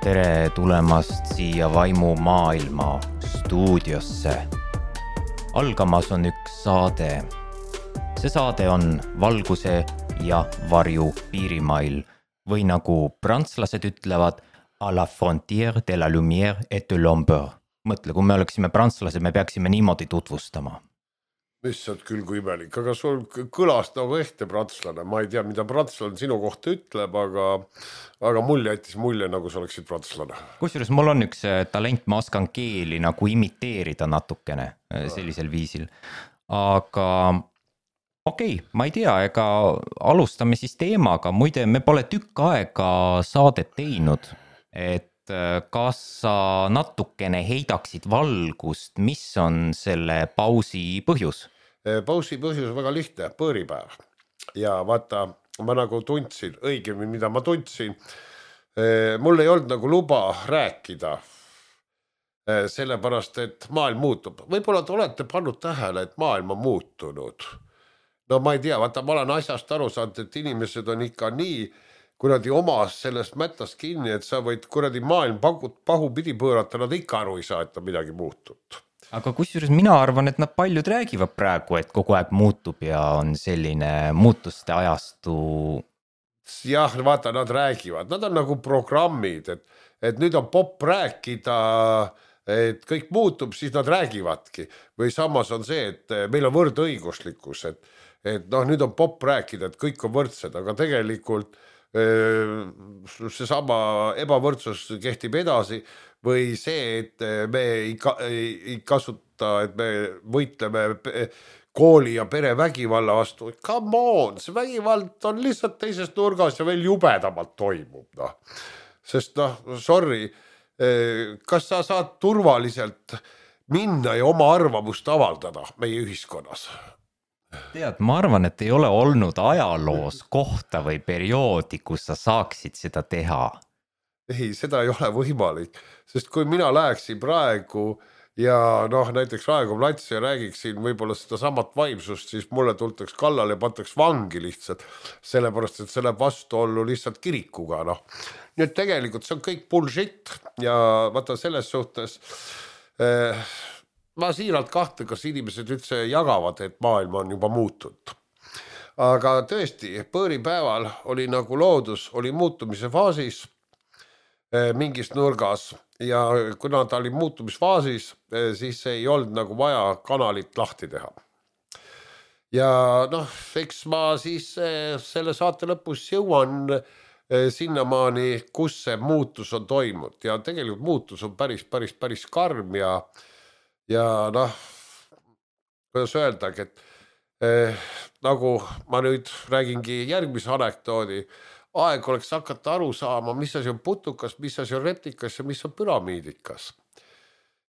Tere tulemast siia Vaimumaailma stuudiosse. Algamas on üks saade. See saade on valguse ja varju piirimail või nagu prantslased ütlevad à la frontière de la lumière et de l'ombre. Mõtle, kui me oleksime prantslased, me peaksime niimoodi tutvustama. Mis on küll kui imelik, aga sul kõlas nagu ehte prantslane. Ma ei tea, mida prantslane sinu kohta ütleb, aga mul jättis mulje, nagu sa oleksid prantslane. Kusjuures mul on üks talent, ma oskan keeli nagu imiteerida natukene sellisel viisil. Aga okei, ma ei tea, ega alustame siis teemaga. Muide, me pole tükk aega saadet teinud, et kas sa natukene heidaksid valgust, mis on selle pausi põhjus? Pausi põhjus on väga lihtne, põõripäev. Ja vaata, ma nagu tundsin, õigemini mida ma tundsin, mul ei olnud nagu luba rääkida, sellepärast, et maailm muutub. Võib-olla te olete pannud tähele, et maailm on muutunud. No ma ei tea, vaata, ma olen asjast aru saanud, et inimesed on ikka nii kuradi omas sellest mättast kinni, et sa võid kuradi maailm pahupidi pöörata, nad ikka aru ei saa, et on midagi muutunud. Aga kusjuures mina arvan, et nad paljud räägivad praegu, et kogu aeg muutub ja on selline muutuste ajastu. Jah, vaata, nad räägivad, nad on nagu programmid, et nüüd on popp rääkida, et kõik muutub, siis nad räägivadki. Või samas on see, et meil on võrdõiguslikkus, et noh, nüüd on popp rääkida, et kõik on võrdsed, aga tegelikult see sama ebavõrdsus kehtib edasi või see, et me ei kasuta, et me võitleme kooli ja pere vägivalla vastu. Come on, see vägivald on lihtsalt teises nurgas ja veel jubedamalt toimub. No. Sest sorry, kas sa saad turvaliselt minna ja oma arvamust avaldada meie ühiskonnas? Tead, ma arvan, et ei ole olnud ajaloos kohta või perioodi, kus sa saaksid seda teha. Ei, seda ei ole võimalik, sest kui mina läheksin praegu ja näiteks Raekoja plats ja räägiksin võib-olla seda samat vaimsust, siis mulle tultaks kallale ja pantaks vangi lihtsalt, sellepärast, et see läheb vastuollu lihtsalt kirikuga. Nii et tegelikult see on kõik bullshit ja vaata selles suhtes ma siiralt kahte, kas inimesed üldse jagavad, et maailm on juba muutunud. Aga tõesti, põõripäeval oli nagu loodus, oli muutumise faasis mingis nurgas ja kuna ta oli muutumisfaasis, siis ei olnud nagu vaja kanalit lahti teha. Ja eks ma siis selle saate lõpus jõuan sinnamaani, kus see muutus on toimunud ja tegelikult muutus on päris karm ja kuidas öeldagi, et nagu ma nüüd räägingi järgmise anekdoodi, aeg oleks hakata aru saama, mis asi on putukas, mis asi on reptikas ja mis on püramiidikas.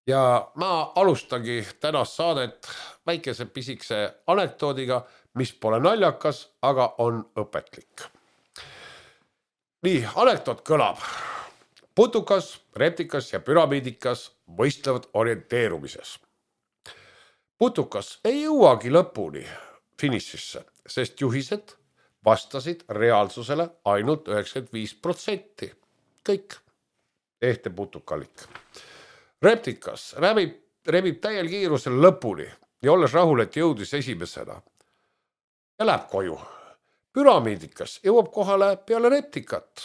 Ja ma alustagi tänast saadet väikese pisikse anekdoodiga, mis pole naljakas, aga on õpetlik. Nii, anekdoot kõlab. Putukas, reptikas ja püramiidikas võistlevad orienteerumises. Putukas ei jõuagi lõpuni finišisse, sest juhised vastasid reaalsusele ainult 95%. Kõik ehte putukalik. Reptikas rebib täiel kiirusel lõpuni ja olles rahul, et jõudis esimesena ja läheb koju. Püramiidikas jõuab kohale peale reptikat,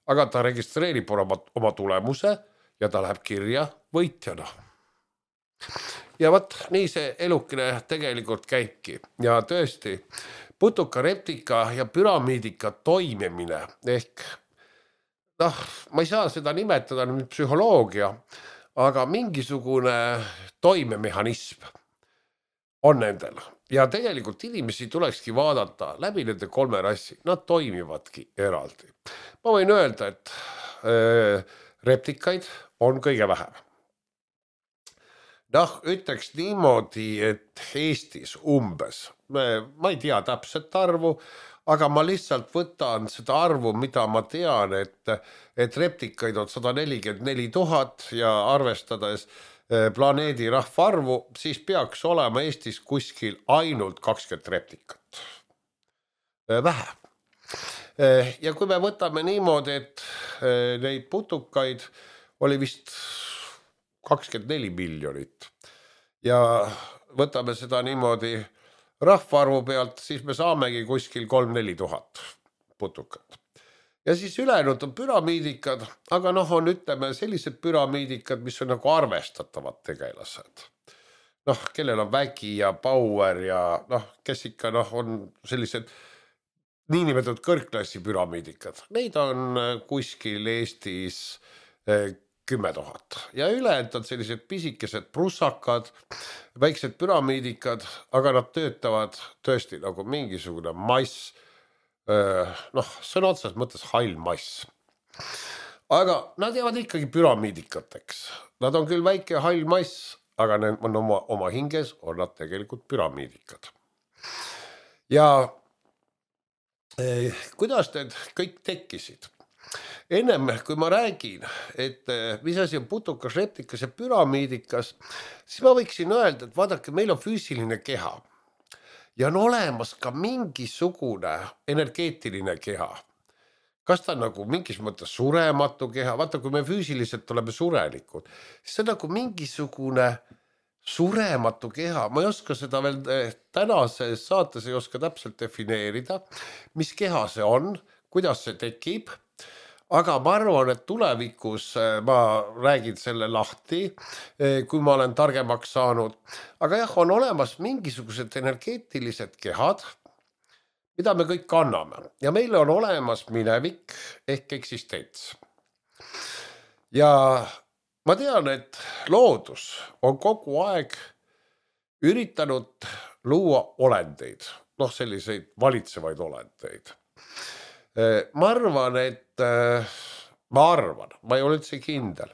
aga ta registreerib oma tulemuse ja ta läheb kirja võitjana. Ja võt, nii see elukene tegelikult käibki. Ja tõesti, putuka, reptika ja püramiidika toimimine ehk, ma ei saa seda nimetada nüüd psühholoogia, aga mingisugune toimemehhanism on nendel. Ja tegelikult inimesi tulekski vaadata läbi nende kolme rassi. Nad toimivadki eraldi. Ma võin öelda, et reptikaid on kõige vähem. Ütleks niimoodi, et Eestis umbes, ma ei tea täpset arvu, aga ma lihtsalt võtan seda arvu, mida ma tean, et reptikaid on 144 000 ja arvestades planeedi rahvaarvu, siis peaks olema Eestis kuskil ainult 20 reptikat. Vähe. Ja kui me võtame niimoodi, et neid putukaid oli vist 24 miljonit ja võtame seda niimoodi rahvaarvu pealt, siis me saamegi kuskil 3-4 tuhat putukat. Ja siis ülejäänud on püramiidikad, aga on ütleme sellised püramiidikad, mis on nagu arvestatavad tegelased. Kellel on vägi ja power ja kes ikka on sellised niinimetatud kõrgklassi püramiidikad. Neid on kuskil Eestis 10 000 ja ülejäänud on sellised pisikesed prussakad, väiksed püramiidikad, aga nad töötavad tõesti nagu mingisugune mass, sõna otsas mõttes hall mass. Aga nad jäävad ikkagi püramiidikateks. Nad on küll väike hall mass, aga need on oma hinges on nad tegelikult püramiidikad. Ja kuidas need kõik tekkisid? Ennem, kui ma räägin, et mis asi on putukas, reptikas ja püramiidikas, siis ma võiksin öelda, et vaadake, meil on füüsiline keha ja on olemas ka mingisugune energeetiline keha. Kas ta on nagu mingis mõttes surematu keha? Vaata, kui me füüsiliselt oleme surelikud, siis on nagu mingisugune surematu keha. Ma ei oska seda veel tänases saates ei oska täpselt defineerida, mis keha see on, kuidas see tekib. Aga ma arvan, et tulevikus ma räägin selle lahti, kui ma olen targemaks saanud. Aga jah, on olemas mingisugused energeetilised kehad, mida me kõik kanname. Ja meil on olemas minevik ehk eksistents. Ja ma tean, et loodus on kogu aeg üritanud luua olendeid, selliseid valitsevaid olendeid. Ma arvan, ma ei ole üldse kindel.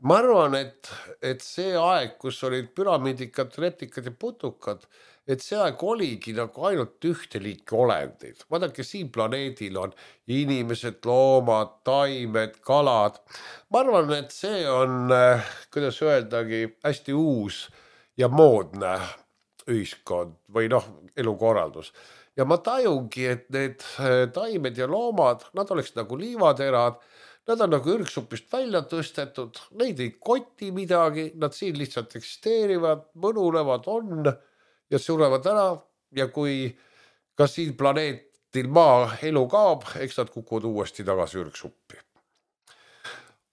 Ma arvan, et see aeg, kus olid püramiidikad, reptikad ja putukad, et see aeg oligi nagu ainult ühte liiki olendeid. Vaadake, siin planeedil on inimesed, loomad, taimed, kalad. Ma arvan, et see on, kuidas öeldagi, hästi uus ja moodne ühiskond või elukorraldus. Ja ma tajungi, et need taimed ja loomad, nad oleks nagu liivaterad, nad on nagu ürgsupist välja tõstetud, neid ei koti midagi, nad siin lihtsalt eksisteerivad, mõnulevad on ja surevad ära ja kui ka siin planeetil maa elu kaob, eks nad kukuvad uuesti tagasi ürgsuppi.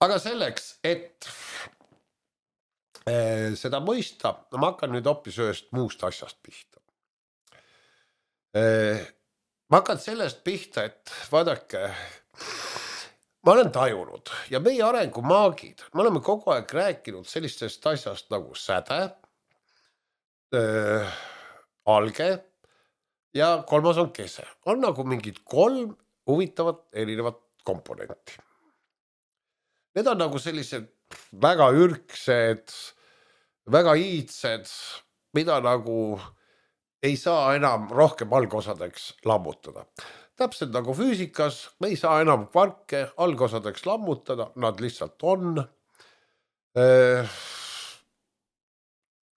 Aga selleks, et seda mõista, ma hakkan nüüd hoopis ühest muust asjast pihta. Ma hakkan sellest pihta, et vaadake, ma olen tajunud ja meie arengumaagid, me oleme kogu aeg rääkinud sellistest asjast nagu säde, alge ja kolmas on kese. On nagu mingid 3 huvitavat erinevat komponenti. Need on nagu sellised väga ürgsed, väga iidsed, mida nagu ei saa enam rohkem algosadeks lammutada. Täpselt nagu füüsikas, me ei saa enam kvarke algosadeks lammutada, nad lihtsalt on.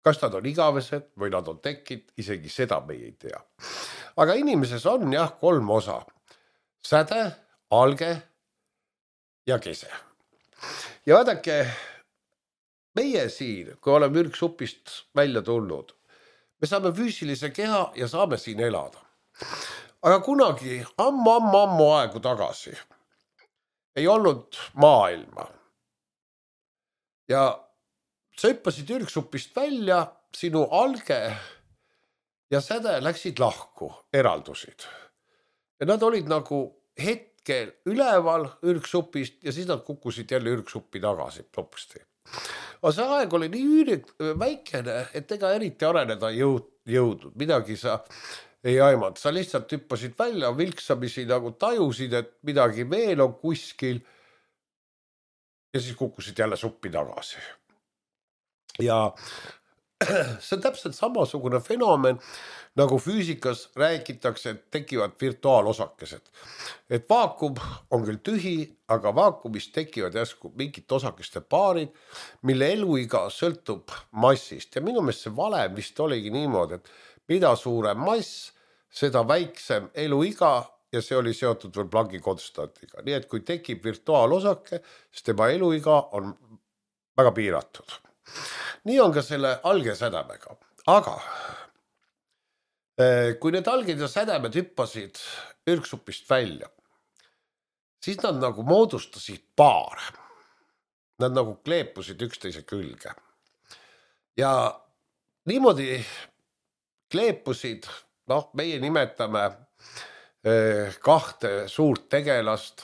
Kas nad on igavesed või nad on tekid, isegi seda me ei tea. Aga inimeses on 3 osa. Säde, alge ja kese. Ja vaadake, meie siin, kui oleme ürgsupist välja tulnud, me saame füüsilise keha ja saame siin elada. Aga kunagi ammu aegu tagasi ei olnud maailma. Ja sa hüppasid ürgsupist välja, sinu alge ja säde läksid lahku, eraldusid. Ja nad olid nagu hetkel üleval ürgsupist ja siis nad kukkusid jälle ürgsuppi tagasi topsti. Aga see aeg oli nii väikene, et ega eriti areneda jõudnud. Midagi sa ei aimanud. Sa lihtsalt hüppasid välja, vilksamisi nagu tajusid, et midagi veel on kuskil ja siis kukkusid jälle suppi tagasi. Ja see on täpselt samasugune fenomen, nagu füüsikas räägitakse, et tekivad virtuaalosakesed. Et vaakum on küll tühi, aga vaakumis tekivad järsku mingid osakeste paarid, mille eluiga sõltub massist. Ja minu meelest see valem vist oligi niimoodi, et mida suurem mass, seda väiksem eluiga ja see oli seotud veel Plancki konstantiga. Nii et kui tekib virtuaalosake, siis tema eluiga on väga piiratud. Nii on ka selle algesädemega. Aga kui need alged ja sädemed hüppasid ürgsupist välja, siis nad nagu moodustasid paare. Nad nagu kleepusid üksteise külge. Ja niimoodi kleepusid, meie nimetame kahte suurt tegelast,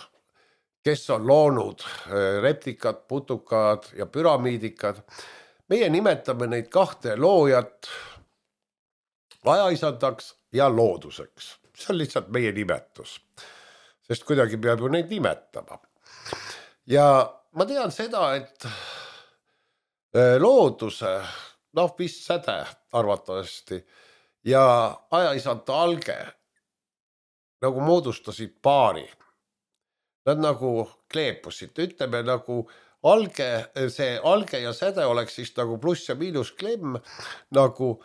kes on loonud reptikad, putukad ja püramiidikad. Meie nimetame neid kahte loojat ajaisandaks ja looduseks. See on lihtsalt meie nimetus, sest kuidagi peab ju neid nimetama. Ja ma tean seda, et looduse, vist säde arvatavasti ja ajaisanta alge nagu moodustasid paari. Nad nagu kleepusid, ütleme nagu see alge ja säde oleks siis nagu pluss ja miinus klemm, nagu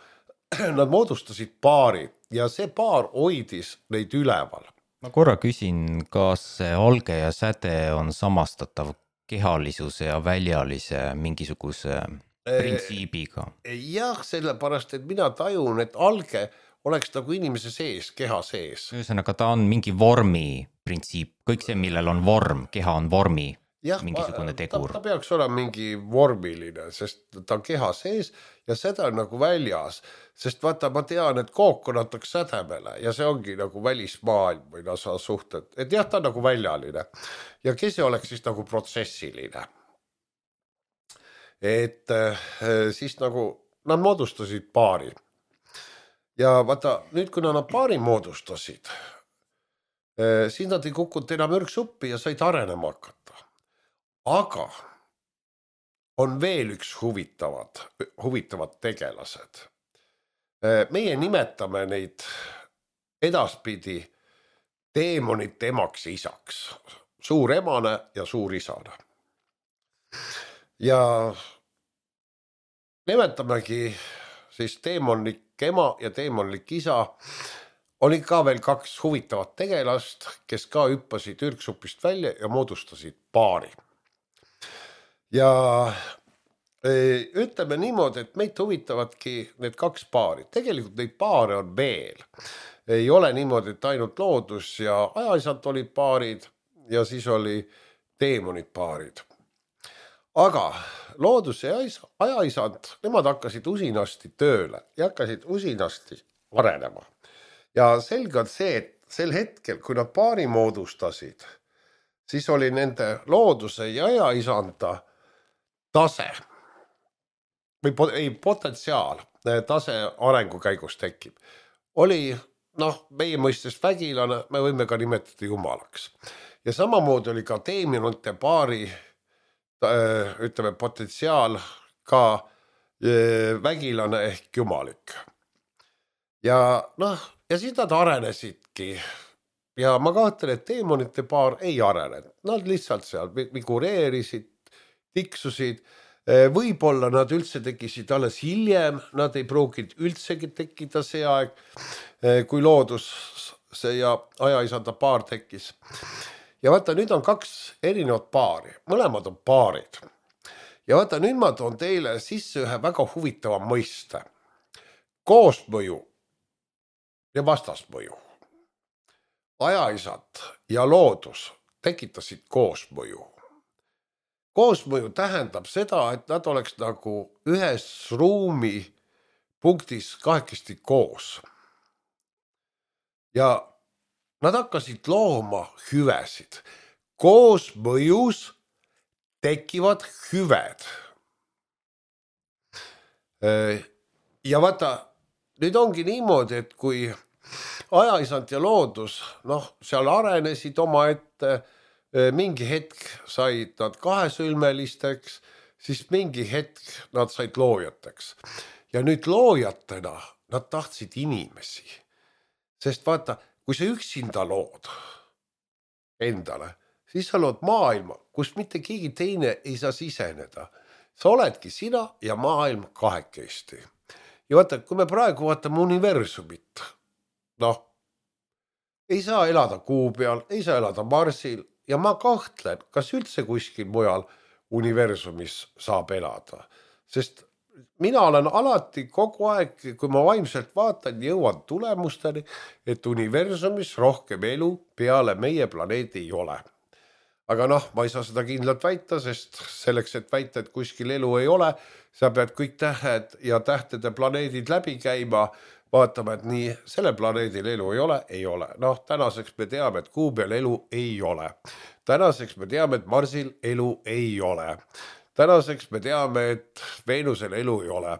nad moodustasid paari ja see paar hoidis neid üleval. Ma korra küsin, kas see alge ja säde on samastatav kehalisuse ja väljalise mingisuguse printsiibiga? Jah, sellepärast, et mina tajun, et alge oleks nagu inimese sees, keha sees. Ühesõnaga, ta on mingi vormi printsiip, kõik see, millel on vorm, keha on vormi, mingisugune tegur. Ta peaks olema mingi vormiline, sest ta on keha sees ja säde on nagu väljas, sest vaata, ma tean, et kook on natukene sädemele ja see ongi nagu välismaailm või sa suhted, et jah, ta on nagu väljaline ja kese oleks siis nagu protsessiline. Et siis nagu nad moodustasid paari. Ja vaata, nüüd kui nad paari moodustasid, siis nad ei kukkunud enam ürgsuppi ja said arenema hakata. Aga on veel üks huvitavad tegelased. Meie nimetame neid edaspidi teemonite emaks ja isaks. Suur emane ja suur isane. Ja nimetamegi siis teemonlik ema ja teemonlik isa. Oli ka veel kaks huvitavat tegelast, kes ka hüppasid ürgsupist välja ja moodustasid paari. Ja ütleme niimoodi, et meid huvitavadki need kaks paari. Tegelikult neid paare on veel. Ei ole niimoodi, et ainult loodus ja ajaisand olid paarid ja siis oli teemonid paarid. Aga loodus ja ajaisand, nemad hakkasid usinasti tööle ja hakkasid usinasti arenema. Ja selge on see, et sel hetkel, kui nad paari moodustasid, siis oli nende looduse ja ajaisanda tase või potentsiaal, tase arengu käigus tekib. Oli, meie mõistes vägilane, me võime ka nimetada jumalaks. Ja samamoodi oli ka teemonite paari ütleme potentsiaal ka vägilane ehk jumalik. Ja siis nad arenesidki. Ja ma kahtlen, et teemonite paar ei arenenud. Nad lihtsalt seal migureerisid, tiksusid. Võib-olla nad üldse tekisid alles hiljem. Nad ei pruuginud üldsegi tekkida see aeg, kui loodus see ja ajaisanda paar tekkis. Ja vaata, nüüd on kaks erinevat paari. Mõlemad on paarid. Ja vaata, nüüd ma toon teile sisse ühe väga huvitava mõiste. Koosmõju ja vastasmõju. Ajaisand ja loodus tekitasid koosmõju. Koosmõju tähendab seda, et nad oleks nagu ühes ruumi punktis kahekesti koos. Ja nad hakkasid looma hüvesid. Koosmõjus tekivad hüved. Ja vaata, nüüd ongi niimoodi, et kui ajaisand ja loodus, seal arenesid oma ette, mingi hetk said nad kahesülmelisteks, siis mingi hetk nad said loojateks. Ja nüüd loojatena nad tahtsid inimesi. Sest vaata, kui sa üksinda lood endale, siis sa lood maailma, kus mitte keegi teine ei saa siseneda. Sa oledki sina ja maailm kahekesti. Ja vaata, kui me praegu vaatame universumit, ei saa elada Kuu peal, ei saa elada Marsil ja ma kahtlen, kas üldse kuskil mujal universumis saab elada, sest mina olen alati kogu aeg, kui ma vaimselt vaatan, jõuan tulemusteni, et universumis rohkem elu peale meie planeedi ei ole. Aga noh, ma ei saa seda kindlalt väita, sest selleks, et väita, et kuskil elu ei ole, sa pead kõik tähed ja tähtede planeedid läbi käima, vaatame, et nii selle planeedil elu ei ole, ei ole. Noh, tänaseks me teame, et Kuu peal elu ei ole. Tänaseks me teame, et Marsil elu ei ole. Tänaseks me teame, et Veenusel elu ei ole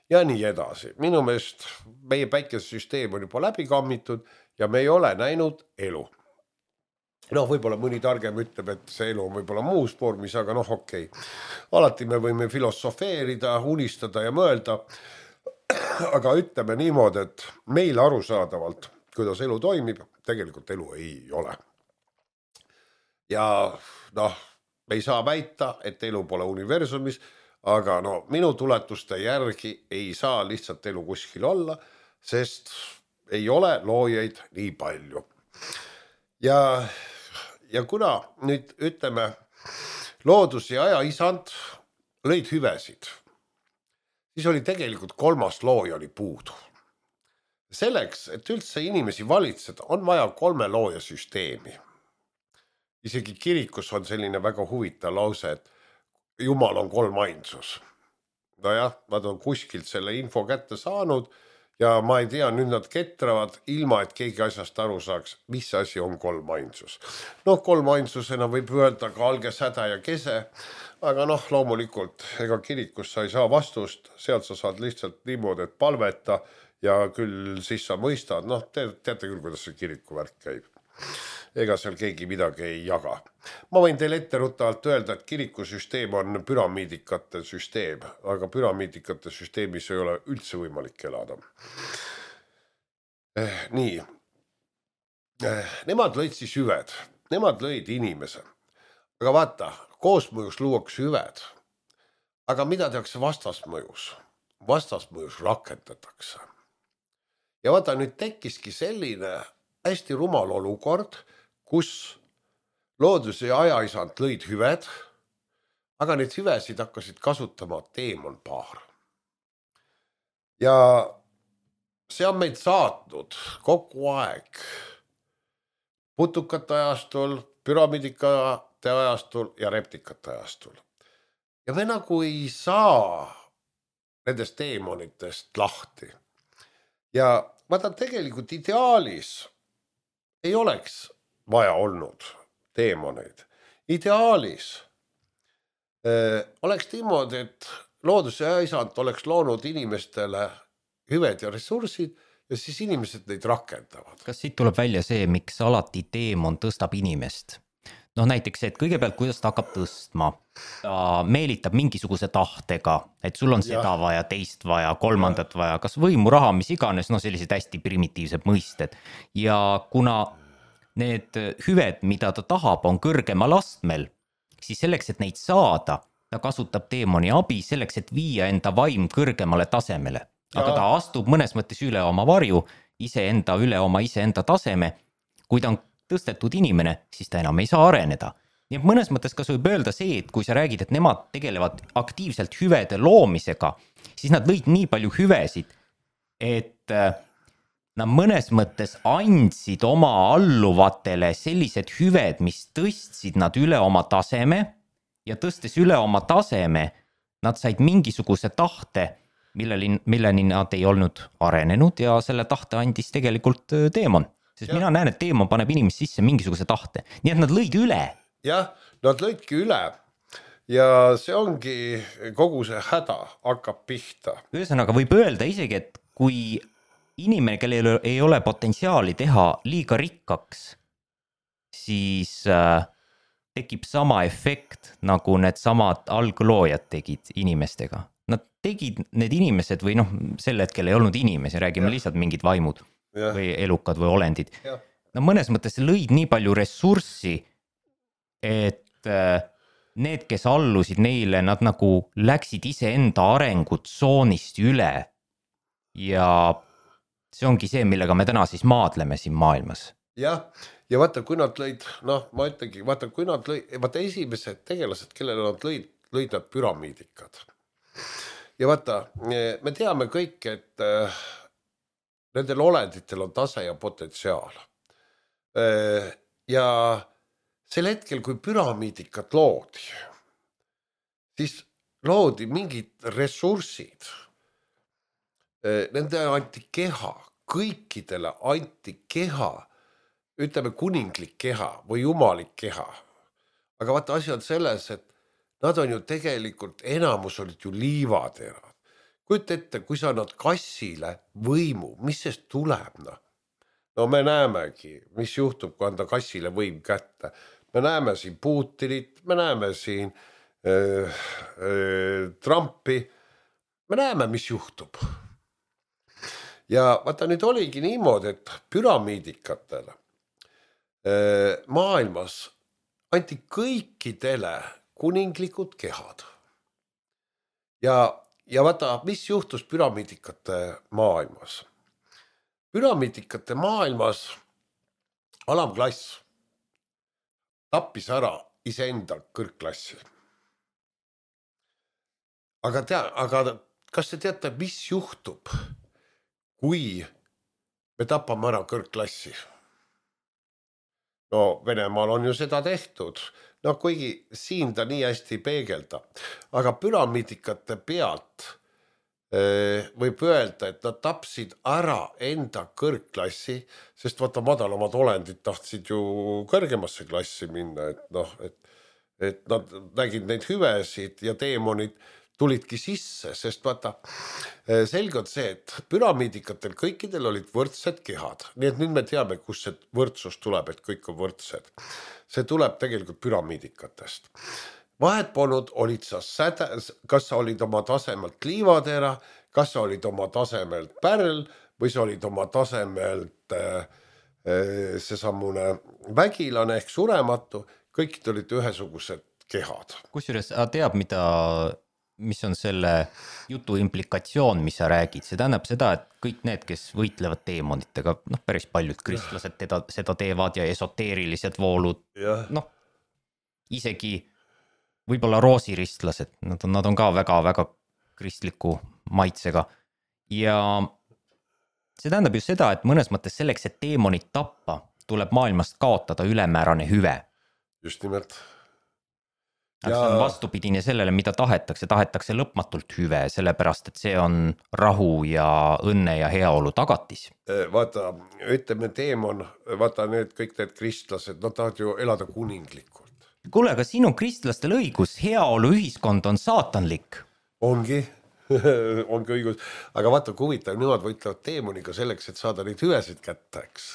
ja nii edasi. Minu meelest meie päikesesüsteem on juba läbi kammitud ja me ei ole näinud elu. Noh, võib-olla mõni targem ütleb, et see elu on võib-olla muus vormis, aga noh, okei. Alati me võime filosofeerida, unistada ja mõelda, aga ütleme niimoodi, et meil arusaadavalt, kuidas elu toimib, tegelikult elu ei ole. Ja noh, me ei saa väita, et elu pole universumis, aga no minu tuletuste järgi ei saa lihtsalt elu kuskil olla, sest ei ole loojaid nii palju. Ja kuna nüüd ütleme, loodus ja aja isand lõid hüvesid, siis oli tegelikult 3. looja oli puudu. Selleks, et üldse inimesi valitseda, on vaja 3 looja süsteemi. Isegi kirikus on selline väga huvitav lause, et Jumal on 3 ainsus. Nojah, nad on kuskilt selle info kätte saanud ja ma ei tea, nüüd nad ketravad ilma, et keegi asjast aru saaks, mis asi on 3 ainsus. Noh, 3 ainsusena võib öelda ka alge, säde ja kese, aga noh, loomulikult ega kirikus sa ei saa vastust, sealt sa saad lihtsalt niimoodi, et palveta ja küll siis sa mõistad, noh, teate küll, kuidas see kiriku värk käib. Ega seal keegi midagi ei jaga. Ma võin teile etteruttavalt öelda, et kirikusüsteem on püramiidikate süsteem, aga püramiidikate süsteemis ei ole üldse võimalik elada. Nii. Nemad lõid siis hüved. Nemad lõid inimese. Aga vaata, koosmõjus luuakse hüved. Aga mida tehakse vastasmõjus? Vastasmõjus rakendatakse. Ja vaata, nüüd tekkiski selline hästi rumal olukord, kus loodus ja ajaisand lõid hüved, aga neid hüvesid hakkasid kasutama teemonpaar. Ja see on meid saatnud kogu aeg putukate ajastul, püramiidikate ajastul ja reptikate ajastul. Ja me nagu ei saa nendest teemonitest lahti. Ja vaata, tegelikult ideaalis ei oleks vaja olnud teemoneid. Ideaalis oleks niimoodi, et loodus ja isand oleks loonud inimestele hüved ja ressursid ja siis inimesed neid rakendavad. Kas siit tuleb välja see, miks alati teemon tõstab inimest? Noh, näiteks see, et kõigepealt kuidas ta hakkab tõstma, ta meelitab mingisuguse tahtega, et sul on seda vaja, teist vaja, kolmandat vaja, kas võimu, raha, mis iganes, no sellised hästi primitiivsed mõisted. Ja kuna need hüved, mida ta tahab, on kõrgemal astmel, siis selleks, et neid saada, ta kasutab teemoni abi selleks, et viia enda vaim kõrgemale tasemele. Aga ta astub mõnes mõttes üle oma varju, iseenda üle oma iseenda taseme. Kui ta on tõstetud inimene, siis ta enam ei saa areneda. Nii et mõnes mõttes kas võib öelda see, et kui sa räägid, et nemad tegelevad aktiivselt hüvede loomisega, siis nad lõid nii palju hüvesid, et nad mõnes mõttes andsid oma alluvatele sellised hüved, mis tõstsid nad üle oma taseme ja tõstes üle oma taseme, nad said mingisuguse tahte, milleni nad ei olnud arenenud ja selle tahte andis tegelikult teemon. Sest mina näen, et teemon paneb inimest sisse mingisuguse tahte. Nii et nad lõid üle. Jah, nad lõidki üle ja see ongi kogu see häda hakkab pihta. Ühesõnaga võib öelda isegi, et kui inimene, kellel ei ole potentsiaali teha liiga rikkaks, siis tekib sama efekt, nagu need samad algloojad tegid inimestega. Nad tegid need inimesed või noh, sel hetkel ei olnud inimesi, räägime lihtsalt mingid vaimud või elukad või olendid. No mõnes mõttes lõid nii palju ressurssi, et need, kes allusid neile, nad nagu läksid iseenda arengutsoonist üle. Ja see ongi see, millega me täna siis maadleme siin maailmas. jah, ja vaata, kui nad lõid, noh, ma ütlengi, vaata, kui nad lõid, vaata esimesed tegelased, kellele nad lõid nad püramiidikad. Ja vaata, me teame kõik, et nendel olenditel on tase ja potentsiaal. Ja sel hetkel, kui püramiidikat loodi, siis loodi mingid ressursid. Nende anti keha, kõikidele anti keha, ütleme kuninglik keha või jumalik keha. Aga vaata, asi on selles, et nad on ju tegelikult, enamus olid ju liivaterad. Kujuta ette, kui sa annad kassile võimu, mis sest tuleb, noh? No me näemegi, mis juhtub, kui anda kassile võim kätte. Me näeme siin Putinit, me näeme siin Trumpi, me näeme, mis juhtub. Ja vaata, nüüd oligi niimoodi, et püramiidikatele maailmas anti kõikidele kuninglikud kehad. Ja vaata, mis juhtus püramiidikate maailmas. Püramiidikate maailmas alamklass tappis ära iseenda kõrgklassi. Aga kas te teate, mis juhtub, kui me tapame ära kõrgklassi? No Venemaal on ju seda tehtud. No kuigi siin ta nii hästi peegelda. Aga püramiidikate pealt võib öelda, et nad tapsid ära enda kõrgklassi, sest vaata madalamad olendid tahtsid ju kõrgemasse klassi minna, et nad nägid neid hüvesid ja teemonid tulidki sisse, sest vaata, selge on see, et püramiidikatel kõikidel olid võrdsed kehad. Nii et nüüd me teame, kus see võrdsus tuleb, et kõik on võrdsed. See tuleb tegelikult püramiidikatest. Vahet polnud, olid sa kas sa olid oma tasemelt liivatera, kas sa olid oma tasemelt pärl või sa olid oma tasemelt seesamune vägilane ehk surematu, kõik olid ühesugused kehad. Kusjuures teab, mis on selle jutu implikatsioon, mis sa räägid. See tähendab seda, et kõik need, kes võitlevad teemonitega, päris paljud kristlased seda teevad ja esoteerilised voolud, isegi võib-olla roosiristlased, nad on ka väga-väga kristliku maitsega. Ja see tähendab ju seda, et mõnes mõttes selleks, et teemonit tappa, tuleb maailmast kaotada ülemäärane hüve. Just nimelt. See on vastupidine sellele, mida tahetakse lõpmatult hüve, sellepärast, et see on rahu ja õnne ja heaolu tagatis. Vaata, ütleme teemon, vaata kõik need kristlased, nad tahavad ju elada kuninglikult. Kuule, aga siin on kristlastel õigus, heaolu ühiskond on saatanlik. Ongi õigus, aga vaata, kui huvitav, nemad võitlevad teemoniga selleks, et saada neid hüvesid kätte, eks.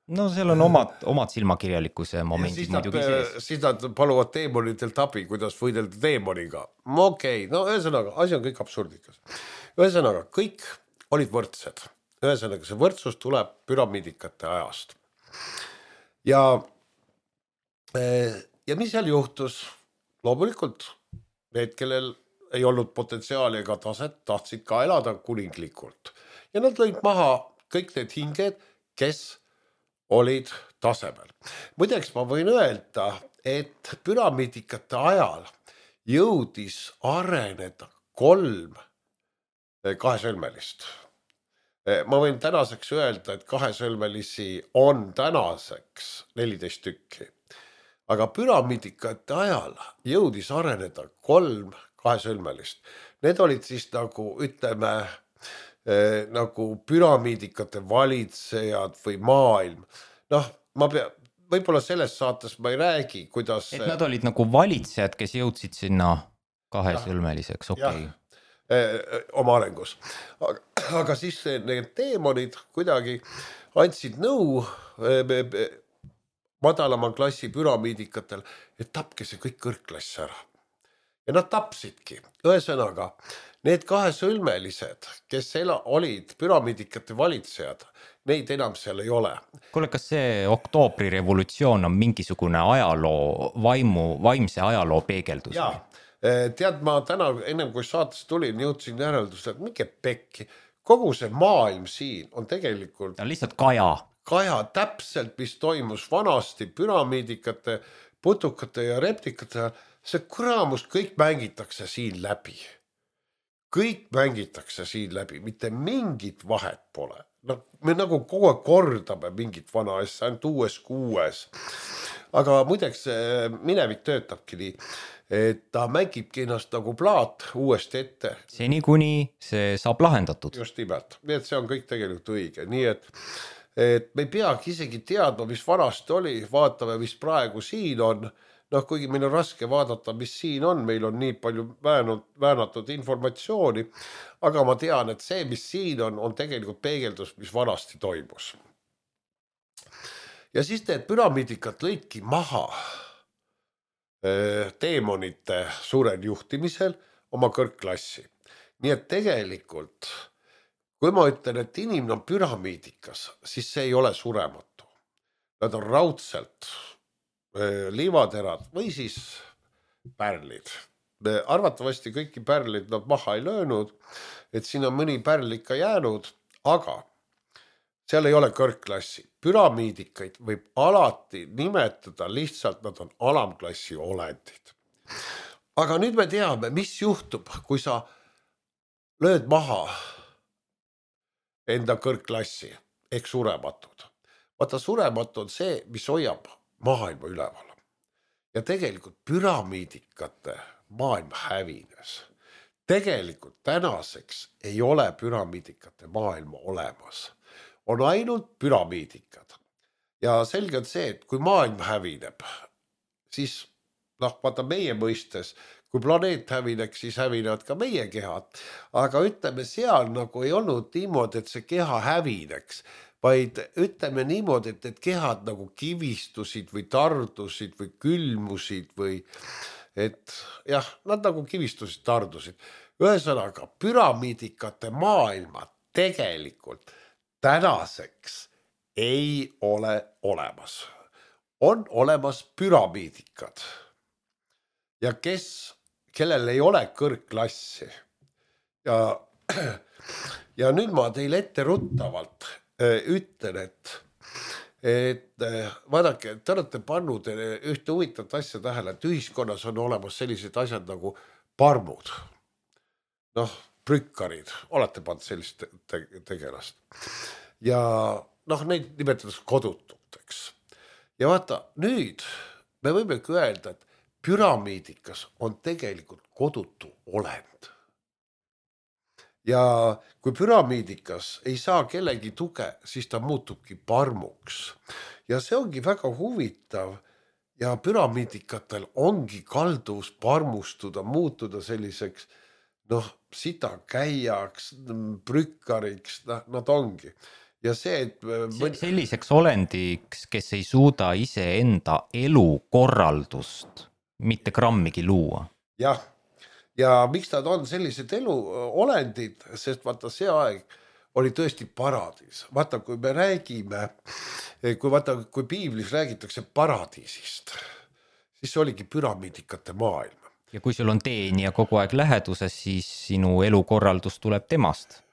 No seal on omad silmakirjalikkuse momendid muidugi sees. Siis nad paluvad teemonitelt abi, kuidas võidelda teemoniga. Okei, no ühesõnaga, asi on kõik absurdikas. Ühesõnaga, kõik olid võrdsed. Ühesõnaga, see võrdsus tuleb püramiidikate ajast. Ja mis seal juhtus? Loomulikult need, kellel ei olnud potentsiaali ega taset, tahtsid ka elada kuninglikult. Ja nad lõid maha kõik need hinged, kes olid tasemel. Muideks ma võin öelda, et püramiidikate ajal jõudis areneda 3 kahesõlmelist. Ma võin tänaseks öelda, et kahesõlmelisi on tänaseks 14 tükki. Aga püramiidikate ajal jõudis areneda 3 kahesõlmelist. Need olid siis nagu, ütleme, nagu püramiidikate valitsejad või maailm. Võib-olla selles saates ma ei räägi, kuidas... Et nad olid nagu valitsejad, kes jõudsid sinna kahesõlmeliseks, okei. Oma arengus. Aga siis need teemonid kuidagi andsid nõu madalama klassi püramiidikatel, et tapke see kõik kõrgklass ära. Ja nad tapsidki. Ühesõnaga, need kahesõlmelised, kes olid püramiidikate valitsejad, neid enam seal ei ole. Kuule, kas see oktoobri revolutsioon on mingisugune ajaloo, vaimse ajaloo peegeldus? Jaa, tead, ma täna, ennem kui saates tulin, jõudsin järeldusele, et mingi pekki. Kogu see maailm siin on tegelikult... Ta on lihtsalt kaja. Kaja täpselt, mis toimus vanasti püramiidikate, putukate ja reptikate, see kuramus kõik mängitakse siin läbi. Kõik mängitakse siin läbi, mitte mingit vahet pole. No, me nagu kogu aeg kordame mingit vana asja, ainult uues. Aga muideks minevik töötabki nii, et ta mängibki ennast nagu plaat uuesti ette. Seni kuni see saab lahendatud. Just nimelt, nii et see on kõik tegelikult õige, nii et me ei peagi isegi teadma, mis vanasti oli, vaatame, mis praegu siin on. Noh, kuigi meil on raske vaadata, mis siin on, meil on nii palju väänatud informatsiooni, aga ma tean, et see, mis siin on tegelikult peegeldus, mis vanasti toimus. Ja siis need püramiidikat lõidki maha teemonite suurel juhtimisel oma kõrgklassi. Nii et tegelikult, kui ma ütlen, et inimene on püramiidikas, siis see ei ole surematu. Nad on raudselt liivaterad või siis pärlid. Arvatavasti kõiki pärlid nad maha ei löönud, et siin on mõni pärl ikka jäänud, aga seal ei ole kõrgklassi. Püramiidikaid võib alati nimetada lihtsalt, nad on alamklassi olendid. Aga nüüd me teame, mis juhtub, kui sa lööd maha enda kõrgklassi ehk surematud. Vaata, surematu on see, mis hoiab maailma üleval. Ja tegelikult püramiidikate maailm hävines. Tegelikult tänaseks ei ole püramiidikate maailma olemas. On ainult püramiidikad. Ja selge on see, et kui maailm hävineb, siis vaata meie mõistes, kui planeet hävineks, siis hävinevad ka meie kehad. Aga ütleme, seal nagu ei olnud niimoodi, et see keha hävineks, vaid ütleme niimoodi, et kehad nagu kivistusid või tardusid või külmusid või et jah, nad nagu kivistusid, tardusid. Ühesõnaga, püramiidikate maailma tegelikult tänaseks ei ole olemas. On olemas püramiidikad. Ja kellel ei ole kõrgklassi. Ja nüüd ma teile ette ruttavalt ütlen, et vaadake, te olete pannud ühte huvitavat asja tähele, et ühiskonnas on olemas sellised asjad nagu parmud. Noh, prükkarid, olete pannud sellist tegelast. Ja neid nimetatakse kodututeks. Ja vaata, nüüd me võimegi öelda, et püramiidikas on tegelikult kodutu olend. Ja kui püramiidikas ei saa kellegi tuge, siis ta muutubki parmuks. Ja see ongi väga huvitav ja püramiidikatel ongi kalduvus parmustuda, muutuda selliseks sitakäijaks, prükkariks, nad ongi. Ja see, et selliseks olendiks, kes ei suuda ise enda elukorraldust mitte grammigi luua. Jah, ja miks nad on sellised eluolendid, sest vaata see aeg oli tõesti paradiis. Vaata, kui me räägime, kui piiblis räägitakse paradiisist, siis see oligi püramiidikate maailm. Ja kui sul on teenija kogu aeg läheduses, siis sinu elukorraldus tuleb temast.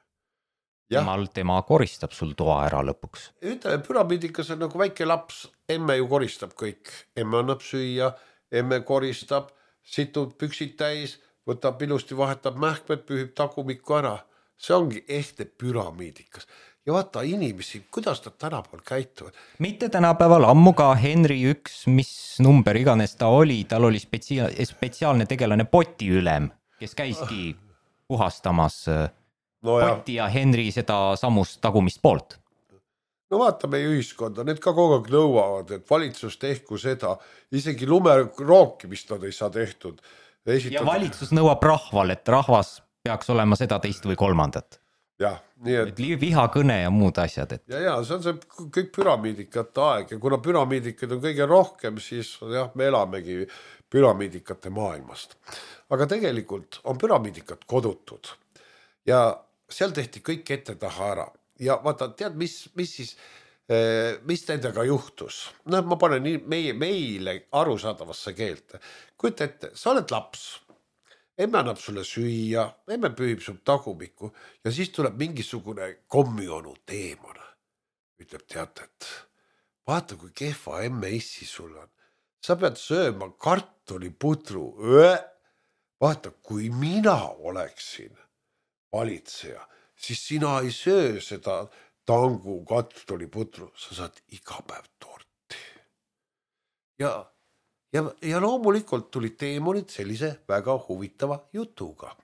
Tema koristab sul toa ära lõpuks. Ütleme, püramiidikas on nagu väike laps, emme ju koristab kõik. Emme annab süüa, emme koristab, situd püksid täis, võtab ilusti, vahetab mähkmed, pühib tagumikku ära. See ongi ehte püramiidikas. Ja vaata inimesi, kuidas nad tänapäeval käituvad. Mitte tänapäeval, ammu ka Henry 1, mis number iganes ta oli, tal oli spetsiaalne tegelane potiülem, kes käiski puhastamas poti ja Henry seda samust tagumist poolt. No vaata meie ühiskonda, need ka kogu aeg nõuavad, et valitsus tehku seda, isegi lumerookimist nad ei saa tehtud. Ja valitsus nõuab rahval, et rahvas peaks olema seda, teist või kolmandat. Jah, nii et vihakõne ja muud asjad. Ja see on see kõik püramiidikate aeg ja kuna püramiidikad on kõige rohkem, siis me elamegi püramiidikate maailmast. Aga tegelikult on püramiidikad kodutud ja seal tehti kõik ette taha ära. Ja vaata, tead, mis nendega juhtus? Ma panen meile arusaadavasse keelte. Kujuta ette, sa oled laps. Emme annab sulle süüa, emme pühib sul tagumikku ja siis tuleb mingisugune kommionu teemon. ütleb, teate, et vaata, kui kehva emme-issi sul on. Sa pead sööma kartulipudru. Vaata, kui mina oleksin valitseja, siis sina ei söö seda tangu kartulipudru, sa saad iga päev torti. Ja loomulikult tulid teemonid sellise väga huvitava jutuga.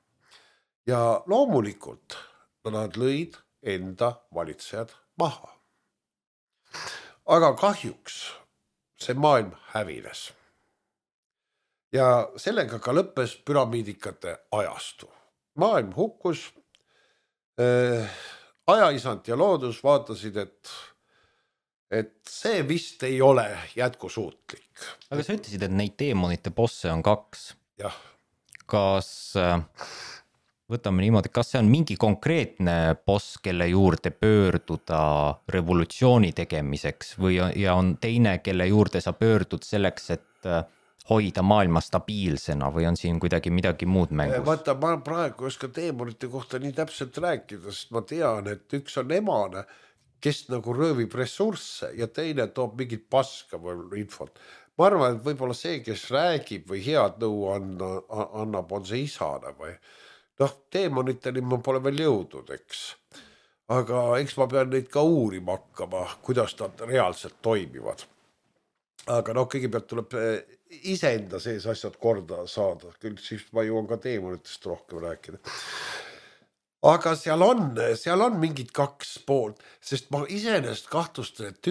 Ja loomulikult nad lõid enda valitsejad maha. Aga kahjuks see maailm hävines. Ja sellega ka lõppes püramiidikate ajastu. Maailm hukkus, ajaisand ja loodus vaatasid, et see vist ei ole jätkusuutlik. Aga sa ütlesid, et neid teemonite bosse on 2. Jah. Kas, võtame niimoodi, kas see on mingi konkreetne boss, kelle juurde pöörduda revolutsiooni tegemiseks ja on teine, kelle juurde sa pöördud selleks, et hoida maailma stabiilsena või on siin kuidagi midagi muud mängus? Vaata, ma praegu ei oska teemonite kohta nii täpselt rääkida, sest ma tean, et üks on emane, kes nagu röövib ressursse ja teine toob mingit paska või infot. Ma arvan, et võib-olla see, kes räägib või head nõu annab, on see isane või teemoniteni ma pole veel jõudnud, eks. Aga eks ma pean neid ka uurima hakkama, kuidas nad reaalselt toimivad. Aga kõigepealt tuleb iseenda sees asjad korda saada, küll siis ma jõuan ka teemonitest rohkem rääkida. Aga seal on mingid 2 poolt, sest ma iseenesest kahtlustan, et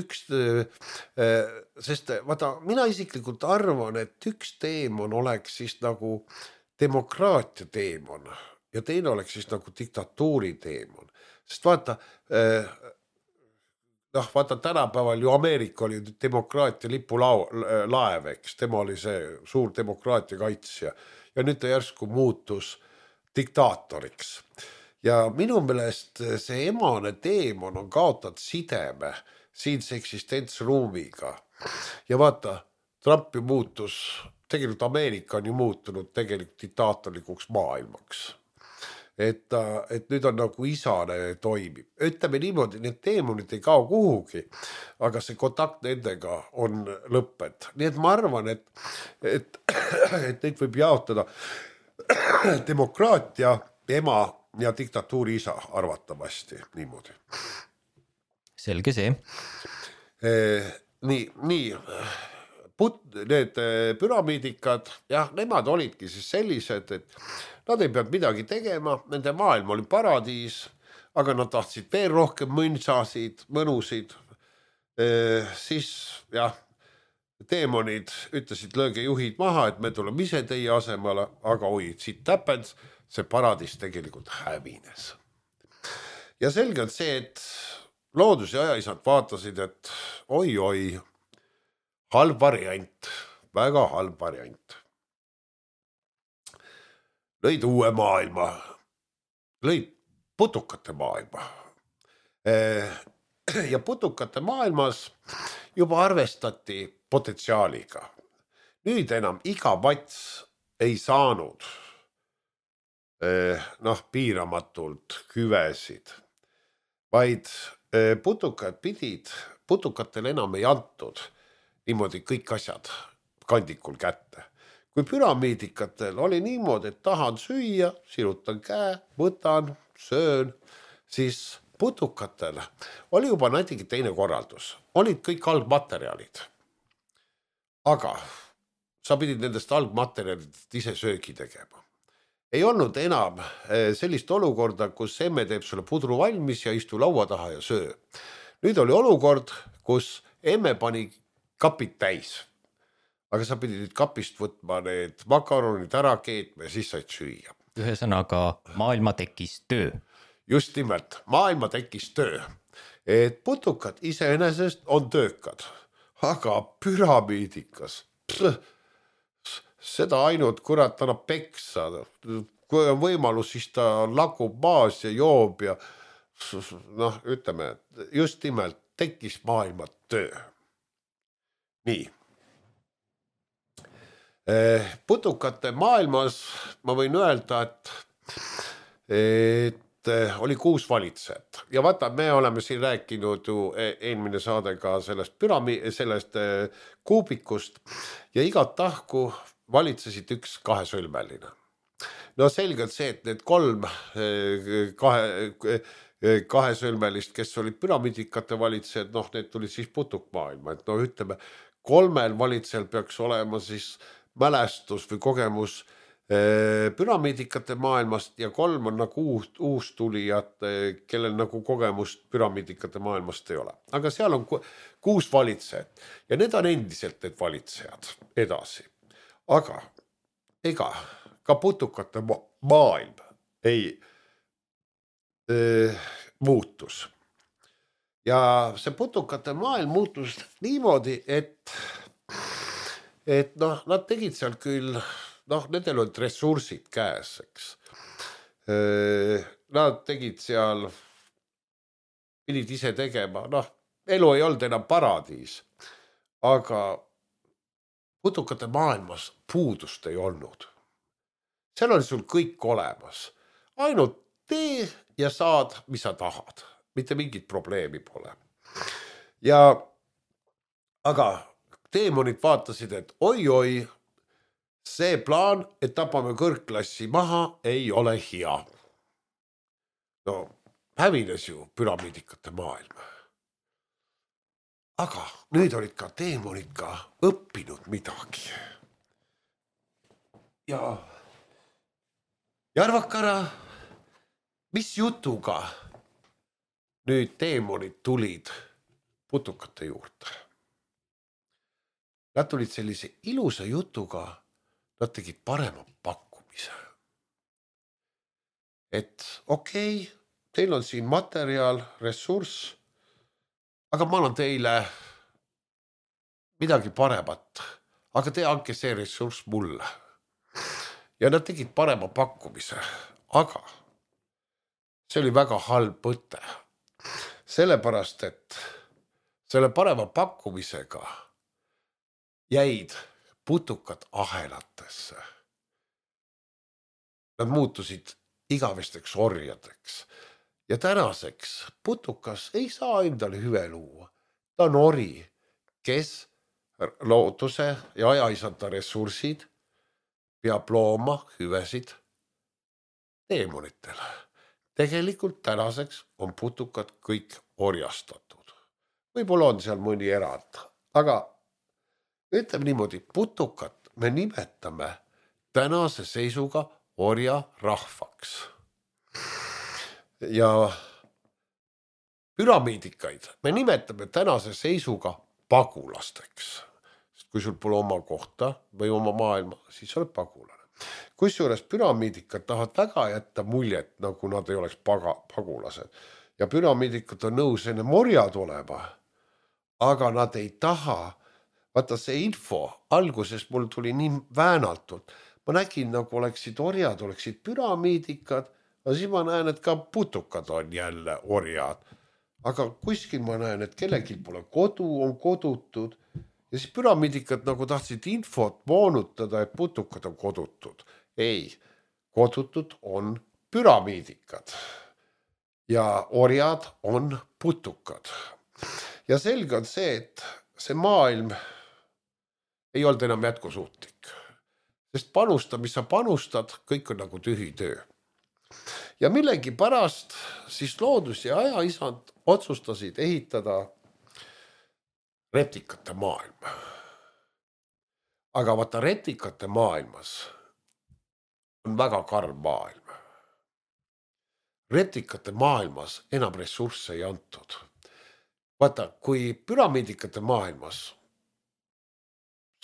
sest vaata, mina isiklikult arvan, et üks teemon oleks siis nagu demokraatia teemon ja teine oleks siis nagu diktatuuri teemon. Sest vaata, tänapäeval ju Ameerika oli demokraatia lipulaev, eks, tema oli see suur demokraatia kaitsja ja nüüd ta järsku muutus diktaatoriks. Ja minu meelest see emane teemon on kaotanud sideme siinse eksistentsruumiga. Ja vaata, Trump ju muutus, tegelikult Ameerika on ju muutunud tegelikult diktaatorlikuks maailmaks. Et nüüd on nagu isane toimib. Ütleme niimoodi, need teemonid ei kao kuhugi, aga see kontakt nendega on lõpped. Nii et ma arvan, et neid võib jaotada demokraatia ema ja diktatuuri isa arvatavasti niimoodi. Selge see. Nii. Need püramiidikad, nemad olidki siis sellised, et nad ei peanud midagi tegema, nende maailm oli paradiis, aga nad tahtsid veel rohkem mõnusid. Siis teemonid ütlesid, lööge juhid maha, et me tuleme ise teie asemele, aga siit täpens, see paradiis tegelikult hävines. Ja selge on see, et loodus ja ajaisad vaatasid, et oi, halb variant, väga halb variant. Lõid uue maailma, lõid putukate maailma. Ja putukate maailmas juba arvestati potentsiaaliga. Nüüd enam iga vats ei saanud piiramatult küvesid, vaid putukatel enam ei antud niimoodi kõik asjad kandikul kätte. Kui püramiidikatel oli niimoodi, et tahan süüa, sirutan käe, võtan, söön, siis putukatel oli juba näitegi teine korraldus. Olid kõik algmaterjalid. Aga sa pidid nendest algmaterjalidest ise söögi tegema. Ei olnud enam sellist olukorda, kus emme teeb sulle pudru valmis ja istu laua taha ja söö. Nüüd oli olukord, kus emme pani kapid täis. Aga sa pidid nüüd kapist võtma need makaronid ära keetma ja siis said süüa. Ühesõnaga, maailma tekkis töö. Just nimelt, maailma tekkis töö. Et putukad iseenesest on töökad, aga püramiidikas, seda ainult kurat annab peksa. Kui on võimalus, siis ta lakub maas ja joob ja ütleme, just nimelt tekkis maailma töö. Nii. Putukate maailmas ma võin öelda, et oli 6 valitsejat ja vaata, me oleme siin rääkinud ju eelmine saade ka sellest sellest kuubikust ja igat tahku valitsesid üks kahesõlmeline. No selgelt see, et need 3 kahesõlmelist, kes olid püramiidikate valitsejad, noh, need tulid siis putukmaailma, et no ütleme, 3 valitsejal peaks olema siis mälestus või kogemus püramiidikate maailmast ja 3 on nagu uus tulijad, kellel nagu kogemust püramiidikate maailmast ei ole. Aga seal on 6 valitsejat ja need on endiselt need valitsejad edasi. Aga ega ka putukate maailm ei muutus. Ja see putukate maailm muutus niimoodi, et noh, nad tegid seal küll, noh, nendel olid ressursid käes, eks. Nad tegid seal, pidid ise tegema, noh, elu ei olnud enam paradiis, aga putukate maailmas puudust ei olnud. Seal oli sul kõik olemas, ainult tee ja saad, mis sa tahad, mitte mingit probleemi pole. Aga teemonid vaatasid, et oi, see plaan, et tapame kõrgklassi maha, ei ole hea. No, hävines ju püramiidikate maailm. Aga nüüd olid ka teemonid ka õppinud midagi. Ja arvakara, mis jutuga nüüd teemonid tulid putukate juurde? Nad tulid sellise ilusa jutuga, nad tegid parema pakkumise. Et okei, teil on siin materjal, ressurss, aga ma annan teile midagi paremat, aga te andke see ressurss mulle. Ja nad tegid parema pakkumise, aga see oli väga halb mõte. Sellepärast, et selle parema pakkumisega jäid putukad ahelatesse. Nad muutusid igavesteks orjadeks. Ja tänaseks putukas ei saa endale hüve luua. Ta on ori, kes looduse ja ajaisanta ressursid peab looma hüvesid teemonitele. Tegelikult tänaseks on putukad kõik orjastatud. Võib-olla on seal mõni erand, aga ütleme niimoodi, putukat me nimetame tänase seisuga orja rahvaks. Ja püramiidikaid me nimetame tänase seisuga pagulasteks. Kui sul pole oma kohta või oma maailma, siis oled pagulane. Kusjuures püramiidikad tahavad väga jätta muljet, nagu nad ei oleks pagulased. Ja püramiidikad on nõus enne morjad olema, aga nad ei taha. Vaata see info alguses mul tuli nii väänaltult. Ma nägin, nagu oleksid orjad, oleksid püramiidikad, aga siis ma näen, et ka putukad on jälle orjad. Aga kuskil ma näen, et kellelgi pole kodu, on kodutud. Ja siis püramiidikad nagu tahtsid infot moonutada, et putukad on kodutud. Ei, kodutud on püramiidikad ja orjad on putukad. Ja selge on see, et see maailm ei olnud enam jätkusuutlik. Sest panusta, mis sa panustad, kõik on nagu tühi töö. Ja millegi pärast siis loodus ja ajaisand otsustasid ehitada reptikate maailma. Aga vaata, reptikate maailmas on väga karm maailm. Reptikate maailmas enam ressursse ei antud. Vaata, kui püramiidikate maailmas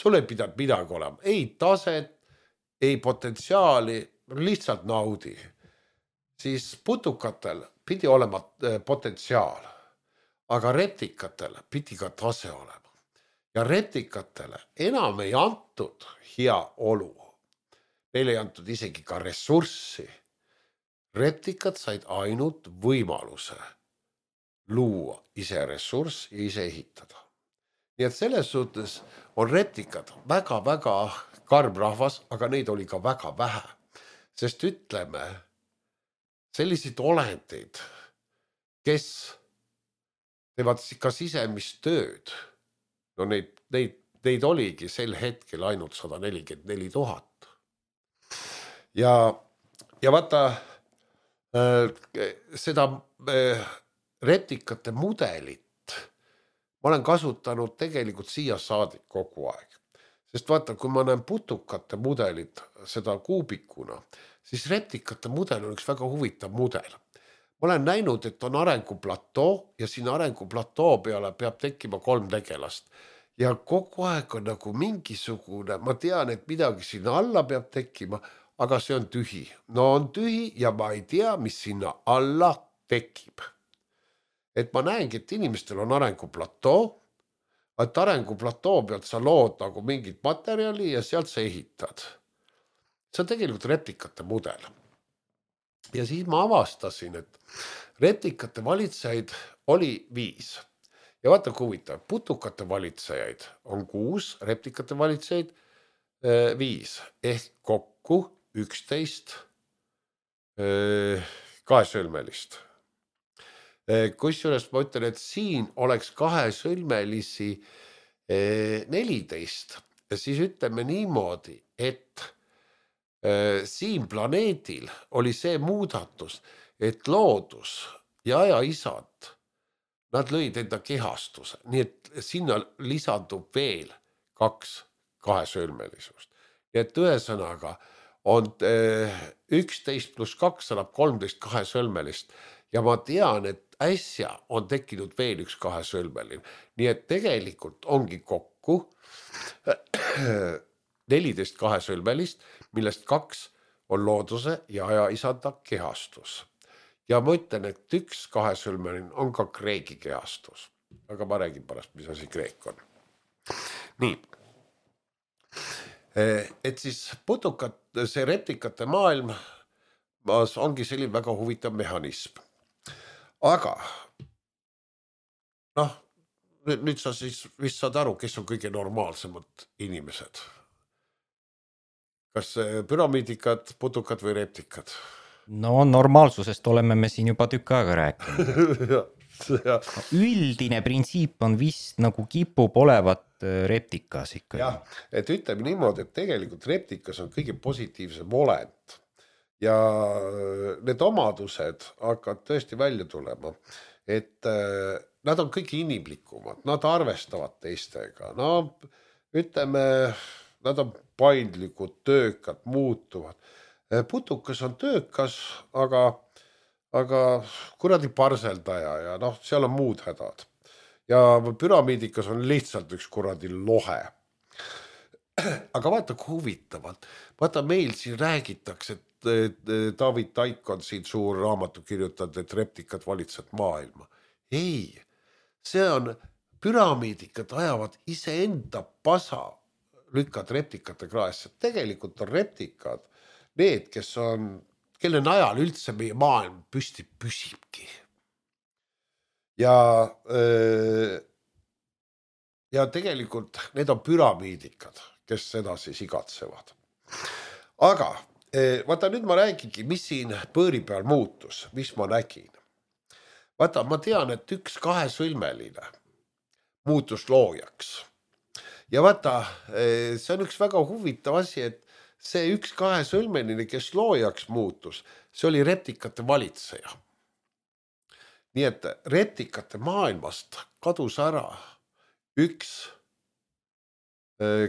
sul ei pidanud midagi olema, ei taset, ei potentsiaali, lihtsalt naudi. Siis putukatel pidi olema potentsiaal. Aga reptikatel pidi ka tase olema. Ja reptikatele enam ei antud hea olu. Neile ei antud isegi ka ressurssi. Reptikad said ainult võimaluse luua ise ressurss ja ise ehitada. Nii et selles suhtes on reptikad väga-väga karm rahvas, aga neid oli ka väga vähe. Sest ütleme, selliseid olendeid, kes teevad ka sisemist tööd. No neid oligi sel hetkel ainult 144 000. Ja vaata, seda reptikate mudelit ma olen kasutanud tegelikult siia saadik kogu aeg. Sest vaata, kui ma näen putukate mudelit seda kuubikuna, siis reptikate mudel on üks väga huvitav mudel. Ma olen näinud, et on arenguplatoo ja siin arenguplatoo peale peab tekkima 3 tegelast. Ja kogu aeg on nagu mingisugune, ma tean, et midagi sinna alla peab tekkima, aga see on tühi. No on tühi ja ma ei tea, mis sinna alla tekib. Et ma näengi, et inimestel on arenguplatoo, et arenguplatoo pealt sa lood nagu mingit materjali ja sealt sa ehitad. See on tegelikult reptikate mudel. Ja siis ma avastasin, et reptikate valitsejaid oli 5. Ja vaata kui huvitav, putukate valitsejaid on 6, reptikate valitsejaid 5. Ehk kokku 11 kahesõlmelist. Kusjuures ma ütlen, et siin oleks kahesõlmelisi 14. Ja siis ütleme niimoodi, et siin planeedil oli see muudatus, et loodus ja ajaisad, nad lõid enda kehastuse, nii et sinna lisandub veel 2 kahesõlmelisust. Nii et ühesõnaga on 11 plus 2 annab 13 kahesõlmelist ja ma tean, et äsja on tekkinud veel üks kahesõlmeline. Nii et tegelikult ongi kokku 14 kahesõlmelist, millest 2 on looduse ja ajaisanda kehastus. Ja ma ütlen, et 1 kahesõlmeline on ka kreegi kehastus. Aga ma räägin pärast, mis asi kreek on. Nii. Et siis see reptikate maailm ongi selline väga huvitav mehhanism. Aga noh, nüüd sa siis vist saad aru, kes on kõige normaalsemad inimesed. Kas püramiidikad, putukad või reptikad? No normaalsusest oleme me siin juba tükk aega rääkinud. Üldine printsiip on vist nagu kipub olevat reptikas ikkagi. Jah, et ütleme niimoodi, et tegelikult reptikas on kõige positiivsem olend. Ja need omadused hakkavad tõesti välja tulema, et nad on kõige inimlikumad, nad arvestavad teistega. No ütleme, nad on paindlikud, töökad, muutuvad. Putukas on töökas, aga kuradi parseldaja ja noh, seal on muud hädad. Ja püramiidikas on lihtsalt üks kuradi lohe. Aga vaata kui huvitavalt. Vaata meil siin räägitakse, et David Taik on siin suur raamatu kirjutanud, et reptikad valitsevad maailma. Ei, see on püramiidikad ajavad iseenda pasa lükkad reptikate kraesse. Tegelikult on reptikad need, kes on, kelle najal üldse meie maailm püsti püsibki. Ja tegelikult need on püramiidikad, kes seda siis igatsevad. Aga vaata nüüd ma räägingi, mis siin põõri peal muutus, mis ma nägin. Vaata, ma tean, et 1 kahesõlmeline muutus loojaks. Ja vaata, see on üks väga huvitav asi, et see 1 kahesõlmeline, kes loojaks muutus, see oli reptikate valitseja. Nii et reptikate maailmast kadus ära 1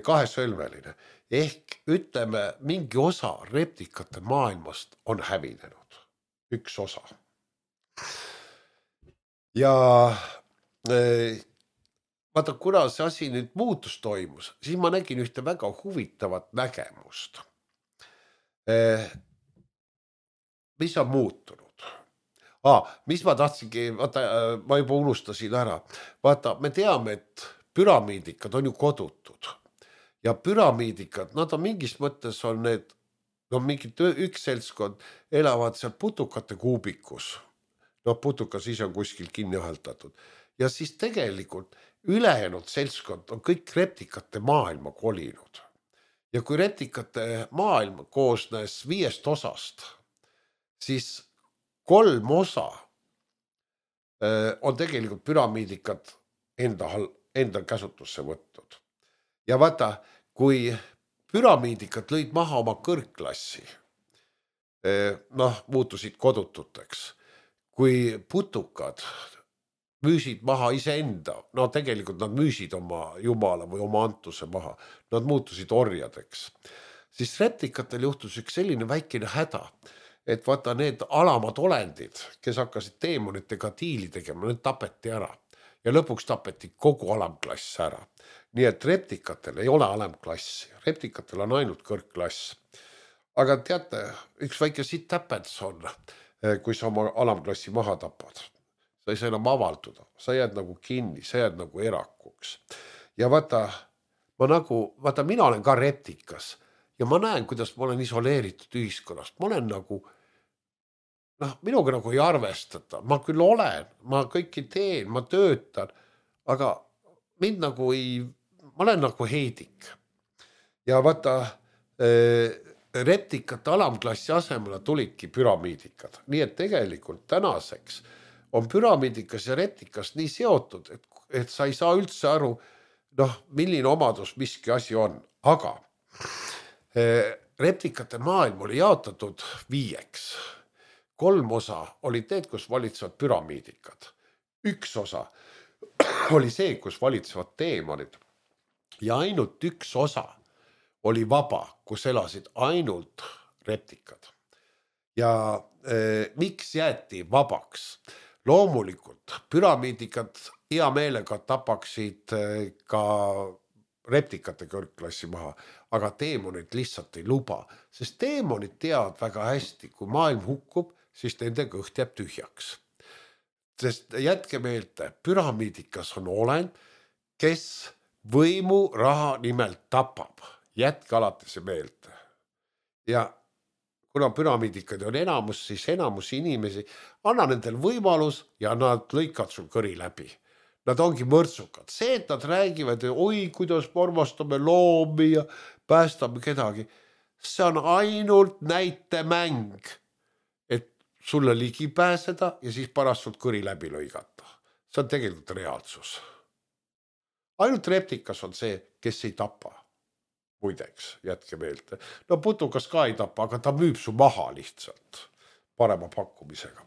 kahesõlmeline. Ehk ütleme, mingi osa reptikate maailmast on hävinenud. 1 osa. Ja vaata, kuna see asi nüüd muutus toimus, siis ma nägin ühte väga huvitavat nägemust. Mis on muutunud? Mis ma tahtsingi, vaata, ma juba unustasin ära. Vaata, me teame, et püramiidikad on ju kodutud. Ja püramiidikad, nad on mingis mõttes on need, no mingi 1 seltskond elavad seal putukate kuubikus. No putukas ise on kuskil kinni õheldatud. Ja siis tegelikult ülejäänud seltskond on kõik reptikate maailma kolinud. Ja kui reptikate maailm koosnes 5 osast, siis 3 osa on tegelikult püramiidikad enda käsutusse võtnud. Ja vaata, kui püramiidikad lõid maha oma kõrgklassi, muutusid kodututeks, kui putukad müüsid maha iseenda, tegelikult nad müüsid oma jumala või oma antuse maha, nad muutusid orjadeks, siis reptikatel juhtus üks selline väikene häda, et vaata need alamad olendid, kes hakkasid teemonitega diili tegema, need tapeti ära ja lõpuks tapeti kogu alamklass ära. Nii et reptikatel ei ole alamklassi, reptikatel on ainult kõrgklass. Aga teate, üks väike siit täpets on, kui sa oma alamklassi maha tapad. Sa ei saa enam avalduda, sa jääd nagu kinni, sa jääd nagu erakuks. Ja vaata, mina olen ka reptikas ja ma näen, kuidas ma olen isoleeritud ühiskonnast. Ma olen nagu, minuga nagu ei arvestata, ma küll olen, ma kõiki teen, ma töötan, aga mind nagu ma olen nagu heidik. Ja vaata, reptikate alamklassi asemele tulidki püramiidikad. Nii et tegelikult tänaseks on püramiidikas ja reptikas nii seotud, et sa ei saa üldse aru, milline omadus miski asi on. Aga reptikate maailm oli jaotatud 5. 3 osa oli need, kus valitsevad püramiidikad. 1 osa oli see, kus valitsevad teemonid. Ja ainult 1 osa oli vaba, kus elasid ainult reptikad. Ja miks jäeti vabaks? Loomulikult püramiidikad hea meelega tapaksid ka reptikate kõrgklassi maha, aga teemonid lihtsalt ei luba, sest teemonid teavad väga hästi, kui maailm hukkub, siis nende kõht jääb tühjaks. Sest jätke meelde, püramiidikas on olend, kes võimu raha nimelt tapab. Jätke alati see meelde. Ja kuna püramiidikad on enamus, siis enamus inimesi anna nendel võimalus ja nad lõikad sul kõri läbi. Nad ongi mõrtsukad. See, et nad räägivad, oi, kuidas me armastame loomi ja päästame kedagi, see on ainult näitemäng, et sulle ligi pääseda ja siis pärast sult kõri läbi lõigata. See on tegelikult reaalsus. Ainult reptikas on see, kes ei tapa. Muideks, jätke meelde. Putukas ka ei tapa, aga ta müüb su maha lihtsalt parema pakkumisega.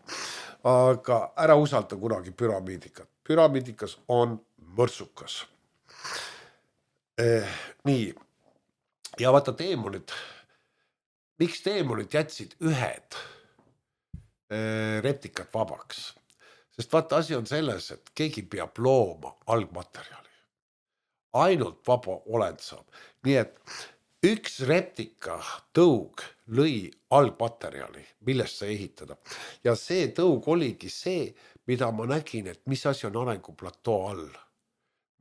Aga ära usalda kunagi püramiidikat. Püramiidikas on mõrtsukas. Nii. Ja vaata teemonid. Miks teemonid jätsid ühed reptikat vabaks? Sest vaata asi on selles, et keegi peab looma algmaterjali. Ainult vaba olend saab. Nii et 1 reptika tõug lõi algmaterjali, millest sa ehitada. Ja see tõug oligi see, mida ma nägin, et mis asi on arenguplatoo all.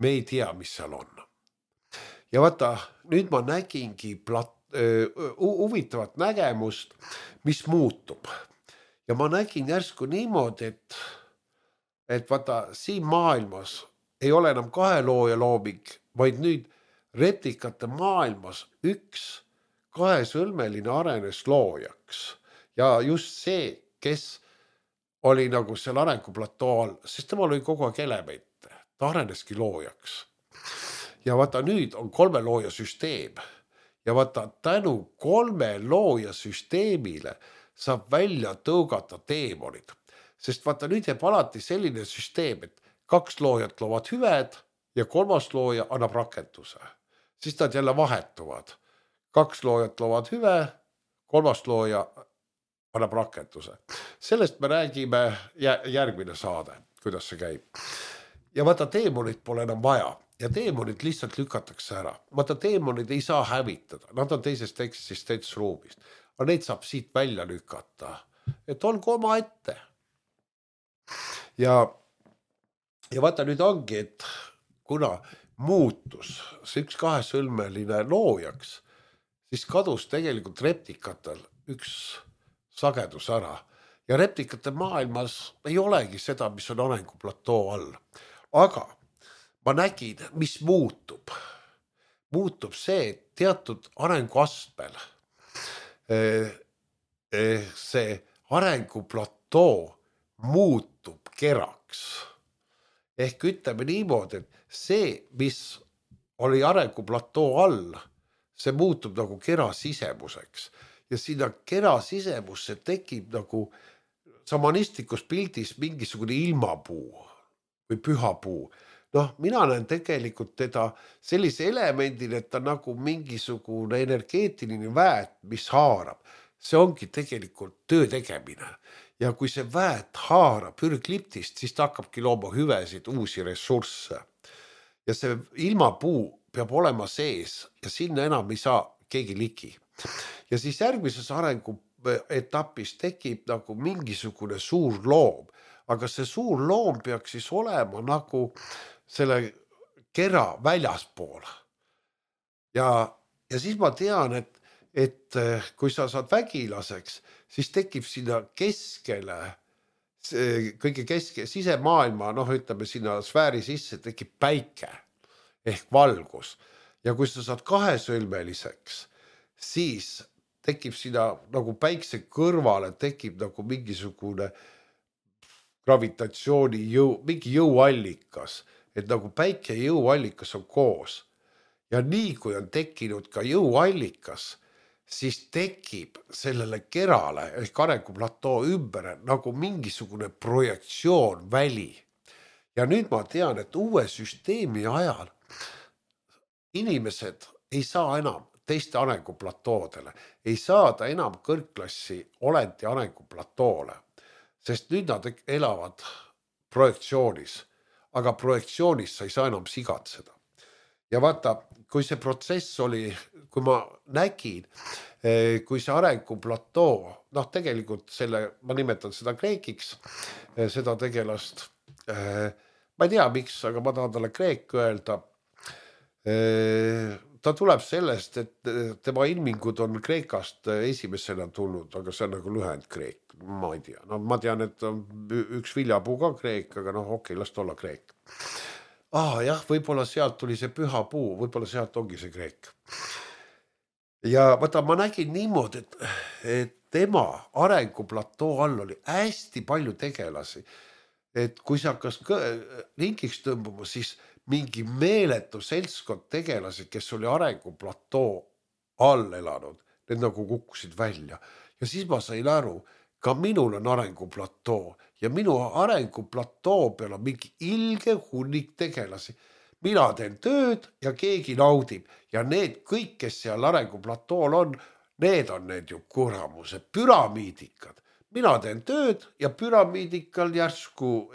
Me ei tea, mis seal on. Ja vaata, nüüd ma nägingi huvitavat nägemust, mis muutub. Ja ma nägin järsku niimoodi, et vaata, siin maailmas ei ole enam 2 looja looming, vaid nüüd reptikate maailmas 1 2-sõlmeline arenes loojaks. Ja just see, kes oli nagu seal arenguplatoo all, sest tema oli kogu aeg elemente. Ta areneski loojaks. Ja vaata, nüüd on 3 looja süsteem. Ja vaata, tänu 3 looja süsteemile saab välja tõugata teemonid. Sest vaata, nüüd jääb alati selline süsteem, et 2 loojat loovad hüved ja 3. looja annab rakenduse. Siis nad jälle vahetuvad. 2 loojat loovad hüve, 3. looja annab rakenduse. Sellest me räägime järgmine saade, kuidas see käib. Ja vaata, teemonid pole enam vaja ja teemonid lihtsalt lükatakse ära. Vaata, teemonid ei saa hävitada, nad on teisest eksistentsruumist. Aga neid saab siit välja lükata, et olgu oma ette. Ja vaata, nüüd ongi, et kuna muutus see 1 2-sõlmeline loojaks, siis kadus tegelikult reptikatel 1 sagedus ära. Ja reptikate maailmas ei olegi seda, mis on arenguplatoo all. Aga ma nägin, mis muutub. Muutub see, et teatud arenguastmel see arenguplatoo platoo muutub keraks. Ehk ütleme niimoodi, et see, mis oli arenguplatoo all, see muutub nagu kera sisemuseks ja sinna kera sisemusse tekib nagu samanistlikus pildis mingisugune ilmapuu või pühapuu. Noh, mina näen tegelikult teda sellise elemendil, et ta nagu mingisugune energeetiline väet, mis haarab. See ongi tegelikult töö tegemine. Ja kui see väet haarab ürgliptist, siis ta hakkabki looma hüvesid, uusi ressursse. Ja see ilmapuu peab olema sees ja sinna enam ei saa keegi ligi. Ja siis järgmises arenguetapis tekib nagu mingisugune suur loom. Aga see suur loom peaks siis olema nagu selle kera väljaspool. Ja siis ma tean, et kui sa saad vägilaseks, siis tekib sinna keskele, kõige sisemaailma, ütleme sinna sfääri sisse, tekib päike ehk valgus. Ja kui sa saad kahesõlmeliseks, siis tekib sinna nagu päikse kõrvale, tekib nagu mingisugune gravitatsiooni mingi jõuallikas, et nagu päike ja jõuallikas on koos. Ja nii kui on tekkinud ka jõuallikas, siis tekib sellele kerale ehk arenguplatoo ümber nagu mingisugune projektsioon väli. Ja nüüd ma tean, et uue süsteemi ajal inimesed ei saa enam teiste arenguplatoodele, ei saada enam kõrgklassi olenti arenguplatoole. Sest nüüd nad elavad projektsioonis, aga projektsioonis sa ei saa enam sigatseda. Ja vaata, kui see protsess oli, kui ma nägin, kui see arenguplatoo, tegelikult ma nimetan seda Kreekiks, seda tegelast, ma ei tea miks, aga ma tahan talle Kreek öelda. Ta tuleb sellest, et tema ilmingud on Kreekast esimesena tulnud, aga see on nagu lühend Kreek, ma ei tea. Ma tean, et on üks viljapuu ka Kreek, aga okei, las olla Kreek. Jah, võib-olla sealt tuli see püha puu, võib-olla sealt ongi see Kreek. Ja vaata, ma nägin niimoodi, et tema arenguplatoo all oli hästi palju tegelasi. Et kui see hakkas ringiks tõmbuma, siis mingi meeletu seltskond tegelasi, kes oli arenguplatoo all elanud, need nagu kukkusid välja. Ja siis ma sain aru, ka minul on arenguplatoo ja minu arenguplatoo peal on mingi ilge hunnik tegelasi. Mina teen tööd ja keegi naudib ja need kõik, kes seal arenguplatool on, need on need ju kuramuse püramiidikad. Mina teen tööd ja püramiidikal järsku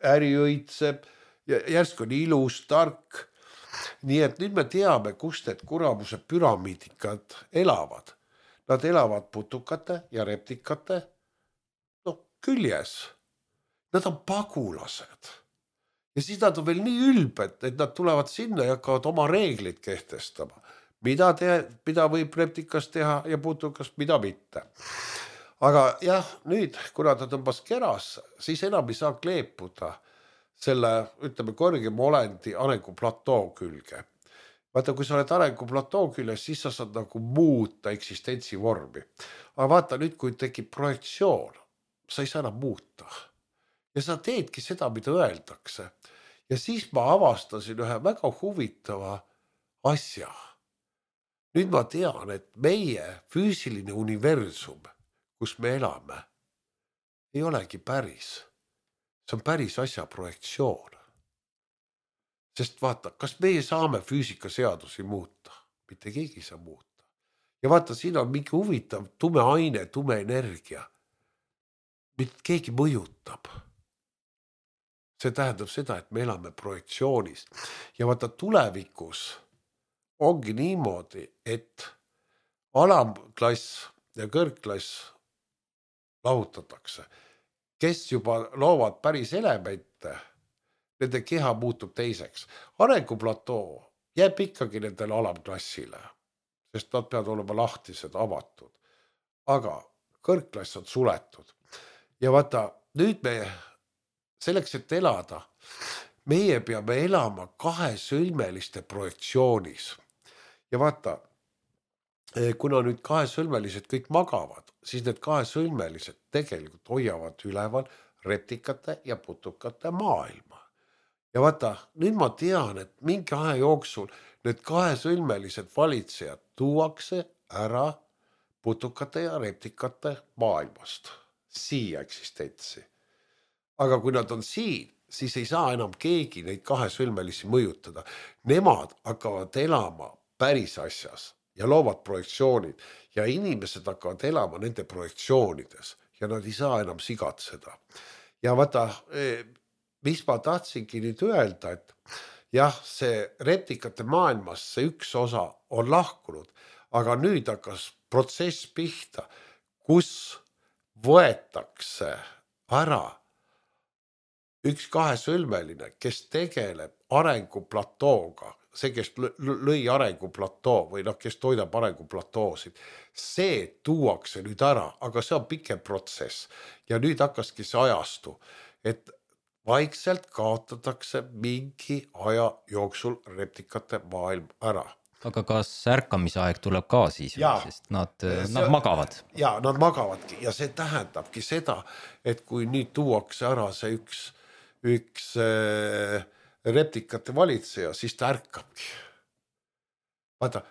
äri õitseb, järsku on ilus, tark. Nii et nüüd me teame, kust need kuramuse püramiidikad elavad. Nad elavad putukate ja reptikate küljes. Nad on pagulased. Ja siis nad on veel nii ülbed, et nad tulevad sinna ja hakkavad oma reeglid kehtestama. Mida võib reptikas teha ja putukas, mida mitte. Aga jah, nüüd, kuna ta tõmbas keras, siis enam ei saa kleepuda selle, ütleme, kõrgema olendi arenguplatoo külge. Vaata, kui sa oled arenguplatoo küljes, siis sa saad nagu muuta eksistentsi vormi. Aga vaata nüüd, kui tekib projektsioon, sa ei saa enam muuta. Ja sa teedki seda, mida öeldakse. Ja siis ma avastasin ühe väga huvitava asja. Nüüd ma tean, et meie füüsiline universum, kus me elame, ei olegi päris. See on päris asja projektsioon. Sest vaata, kas meie saame füüsikaseadusi muuta? Mitte keegi ei saa muuta. Ja vaata, siin on mingi huvitav tume aine, tume energia. Mitte keegi mõjutab. See tähendab seda, et me elame projektsioonis. Ja vaata, tulevikus ongi niimoodi, et alamklass ja kõrgklass lahutatakse. Kes juba loovad päris elemente, nende keha muutub teiseks. Arenguplatoo jääb ikkagi nendele alamklassile, sest nad peavad olema lahtised, avatud. Aga kõrgklass on suletud. Ja vaata, nüüd me selleks, et elada, meie peame elama kahesõlmeliste projektsioonis. Ja vaata, kuna nüüd kahesõlmelised kõik magavad, siis need kahesõlmelised tegelikult hoiavad üleval reptikate ja putukate maailma. Ja vaata, nüüd ma tean, et mingi aja jooksul need kahesõlmelised valitsejad tuuakse ära putukate ja reptikate maailmast, siia eksistentsi. Aga kui nad on siin, siis ei saa enam keegi neid kahesõlmelisi mõjutada. Nemad hakkavad elama päris asjas ja loovad projektsioonid ja inimesed hakkavad elama nende projektsioonides ja nad ei saa enam sigatseda. Ja vaata, mis ma tahtsingi nüüd öelda, et jah, see reptikate maailmast see üks osa on lahkunud, aga nüüd hakkas protsess pihta, kus võetakse ära üks kahesõlmeline, kes tegeleb arenguplatooga, see, kes lõi arenguplatoo või kes toidab arenguplatooosid, see tuuakse nüüd ära, aga see on pikem protsess. Ja nüüd hakkaski see ajastu, et vaikselt kaotatakse mingi aja jooksul reptikate maailm ära. Aga kas ärkamisaeg tuleb ka siis, sest nad magavad? Ja, nad magavadki ja see tähendabki seda, et kui nüüd tuuakse ära see üks reptikate valitseja, siis ta ärkabki. Vaata,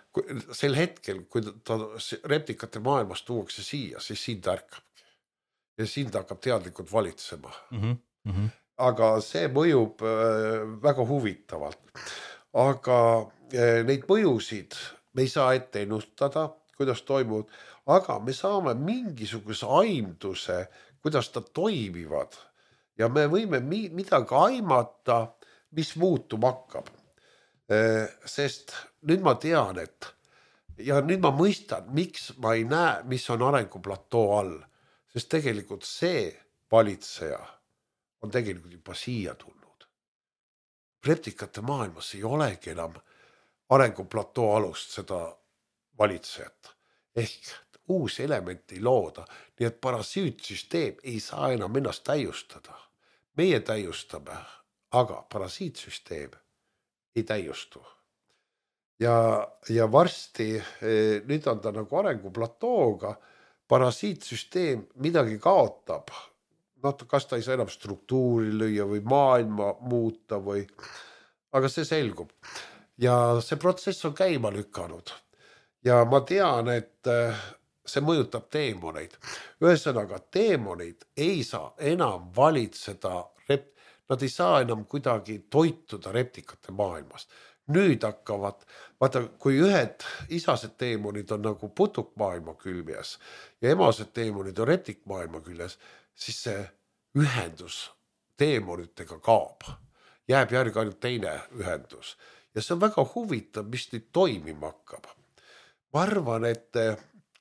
sel hetkel, kui ta reptikate maailmast tuuakse siia, siis siin ta ärkabki. Ja siin ta hakkab teadlikult valitsema. Aga see mõjub väga huvitavalt. Aga neid mõjusid me ei saa ette ennustada, kuidas toimuvad, aga me saame mingisuguse aimduse, kuidas ta toimivad ja me võime midagi aimata, mis muutuma hakkab. Sest nüüd ma tean, ja nüüd ma mõistan, miks ma ei näe, mis on arenguplatoo all, sest tegelikult see valitseja on tegelikult juba siia tulnud. Reptikate maailmas ei olegi enam arenguplatoo alust seda valitsejat. Ehk uus element ei looda, nii et parasiitsüsteem ei saa enam ennast täiustada. Meie täiustame, aga parasiitsüsteem ei täiustu. Ja varsti, nüüd on ta nagu arenguplatooga, parasiitsüsteem midagi kaotab. Kas ta ei saa enam struktuuri lüüa või maailma muuta või, aga see selgub. Ja see protsess on käima lükanud. Ja ma tean, et see mõjutab teemoneid. Ühesõnaga, teemoneid ei saa enam valitseda, nad ei saa enam kuidagi toituda reptikate maailmast. Nüüd hakkavad, vaata, kui ühed isased teemonid on nagu putukmaailma küljes ja emased teemonid on reptikmaailma küljes, siis see ühendus teemonitega kaob. Jääb järgi ainult teine ühendus. Ja see on väga huvitav, mis nüüd toimima hakkab. Ma arvan, et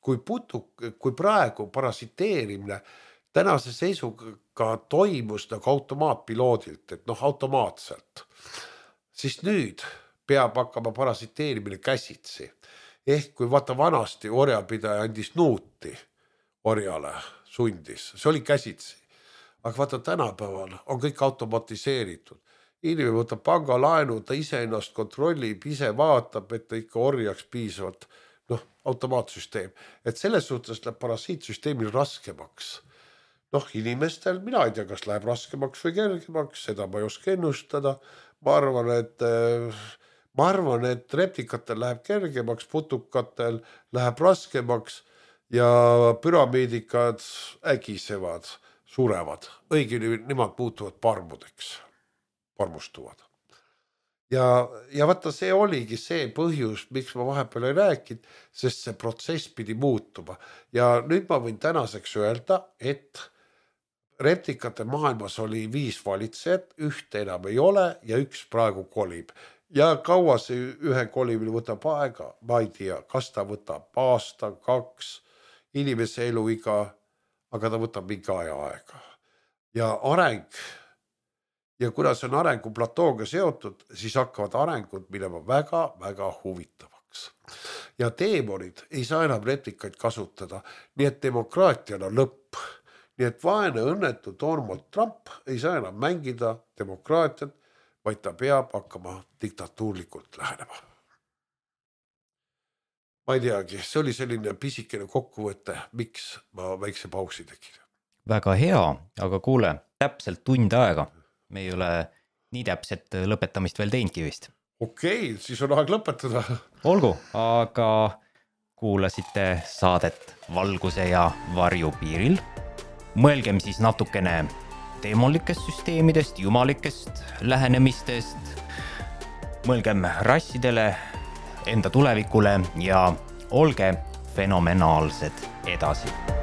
kui praegu parasiteerimine tänase seisuga toimus nagu automaatpiloodilt, et automaatselt, siis nüüd peab hakkama parasiteerimine käsitsi. Ehk kui vaata vanasti orjapidaja andis nuuti orjale, sundis, see oli käsitsi. Aga vaata tänapäeval on kõik automatiseeritud. Inimene võtab pangalaenu, ta ise ennast kontrollib, ise vaatab, et ta ikka orjaks piisavalt, automaatsüsteem. Et selles suhtes läheb parasiitsüsteemil raskemaks. Inimestel, mina ei tea, kas läheb raskemaks või kergemaks, seda ma ei oska ennustada. Ma arvan, et reptikatel läheb kergemaks, putukatel läheb raskemaks ja püramiidikad ägisevad, surevad. Õigeni nemad muutuvad parmudeks, parmustuvad. Ja vaata, see oligi see põhjus, miks ma vahepeal ei rääkinud, sest see protsess pidi muutuma. Ja nüüd ma võin tänaseks öelda, et reptikate maailmas oli 5 valitsejat, ühte enam ei ole ja üks praegu kolib. Ja kaua see ühe kolimine võtab aega, ma ei tea, kas ta võtab aasta, 2, inimese eluiga, aga ta võtab mingi aega. Ja areng, ja kuna see on arenguplatooga seotud, siis hakkavad arengud minema väga-väga huvitavaks. Ja teemonid ei saa enam reptikaid kasutada, nii et demokraatial on lõpp. Nii et vaene õnnetu Donald Trump ei saa enam mängida demokraatiat, vaid ta peab hakkama diktatuurlikult lähenema. ma ei teagi, see oli selline pisikene kokkuvõte, miks ma väikse pausi tegin. Väga hea, aga kuule, täpselt tund aega. Me ei ole nii täpset lõpetamist veel teinudki vist. Okei, siis on aeg lõpetada. Olgu, aga kuulasite saadet Valguse ja varju piiril. Mõelgem siis natukene teemolikest süsteemidest, jumalikest lähenemistest. Mõelgem rassidele, enda tulevikule ja olge fenomenaalsed edasi.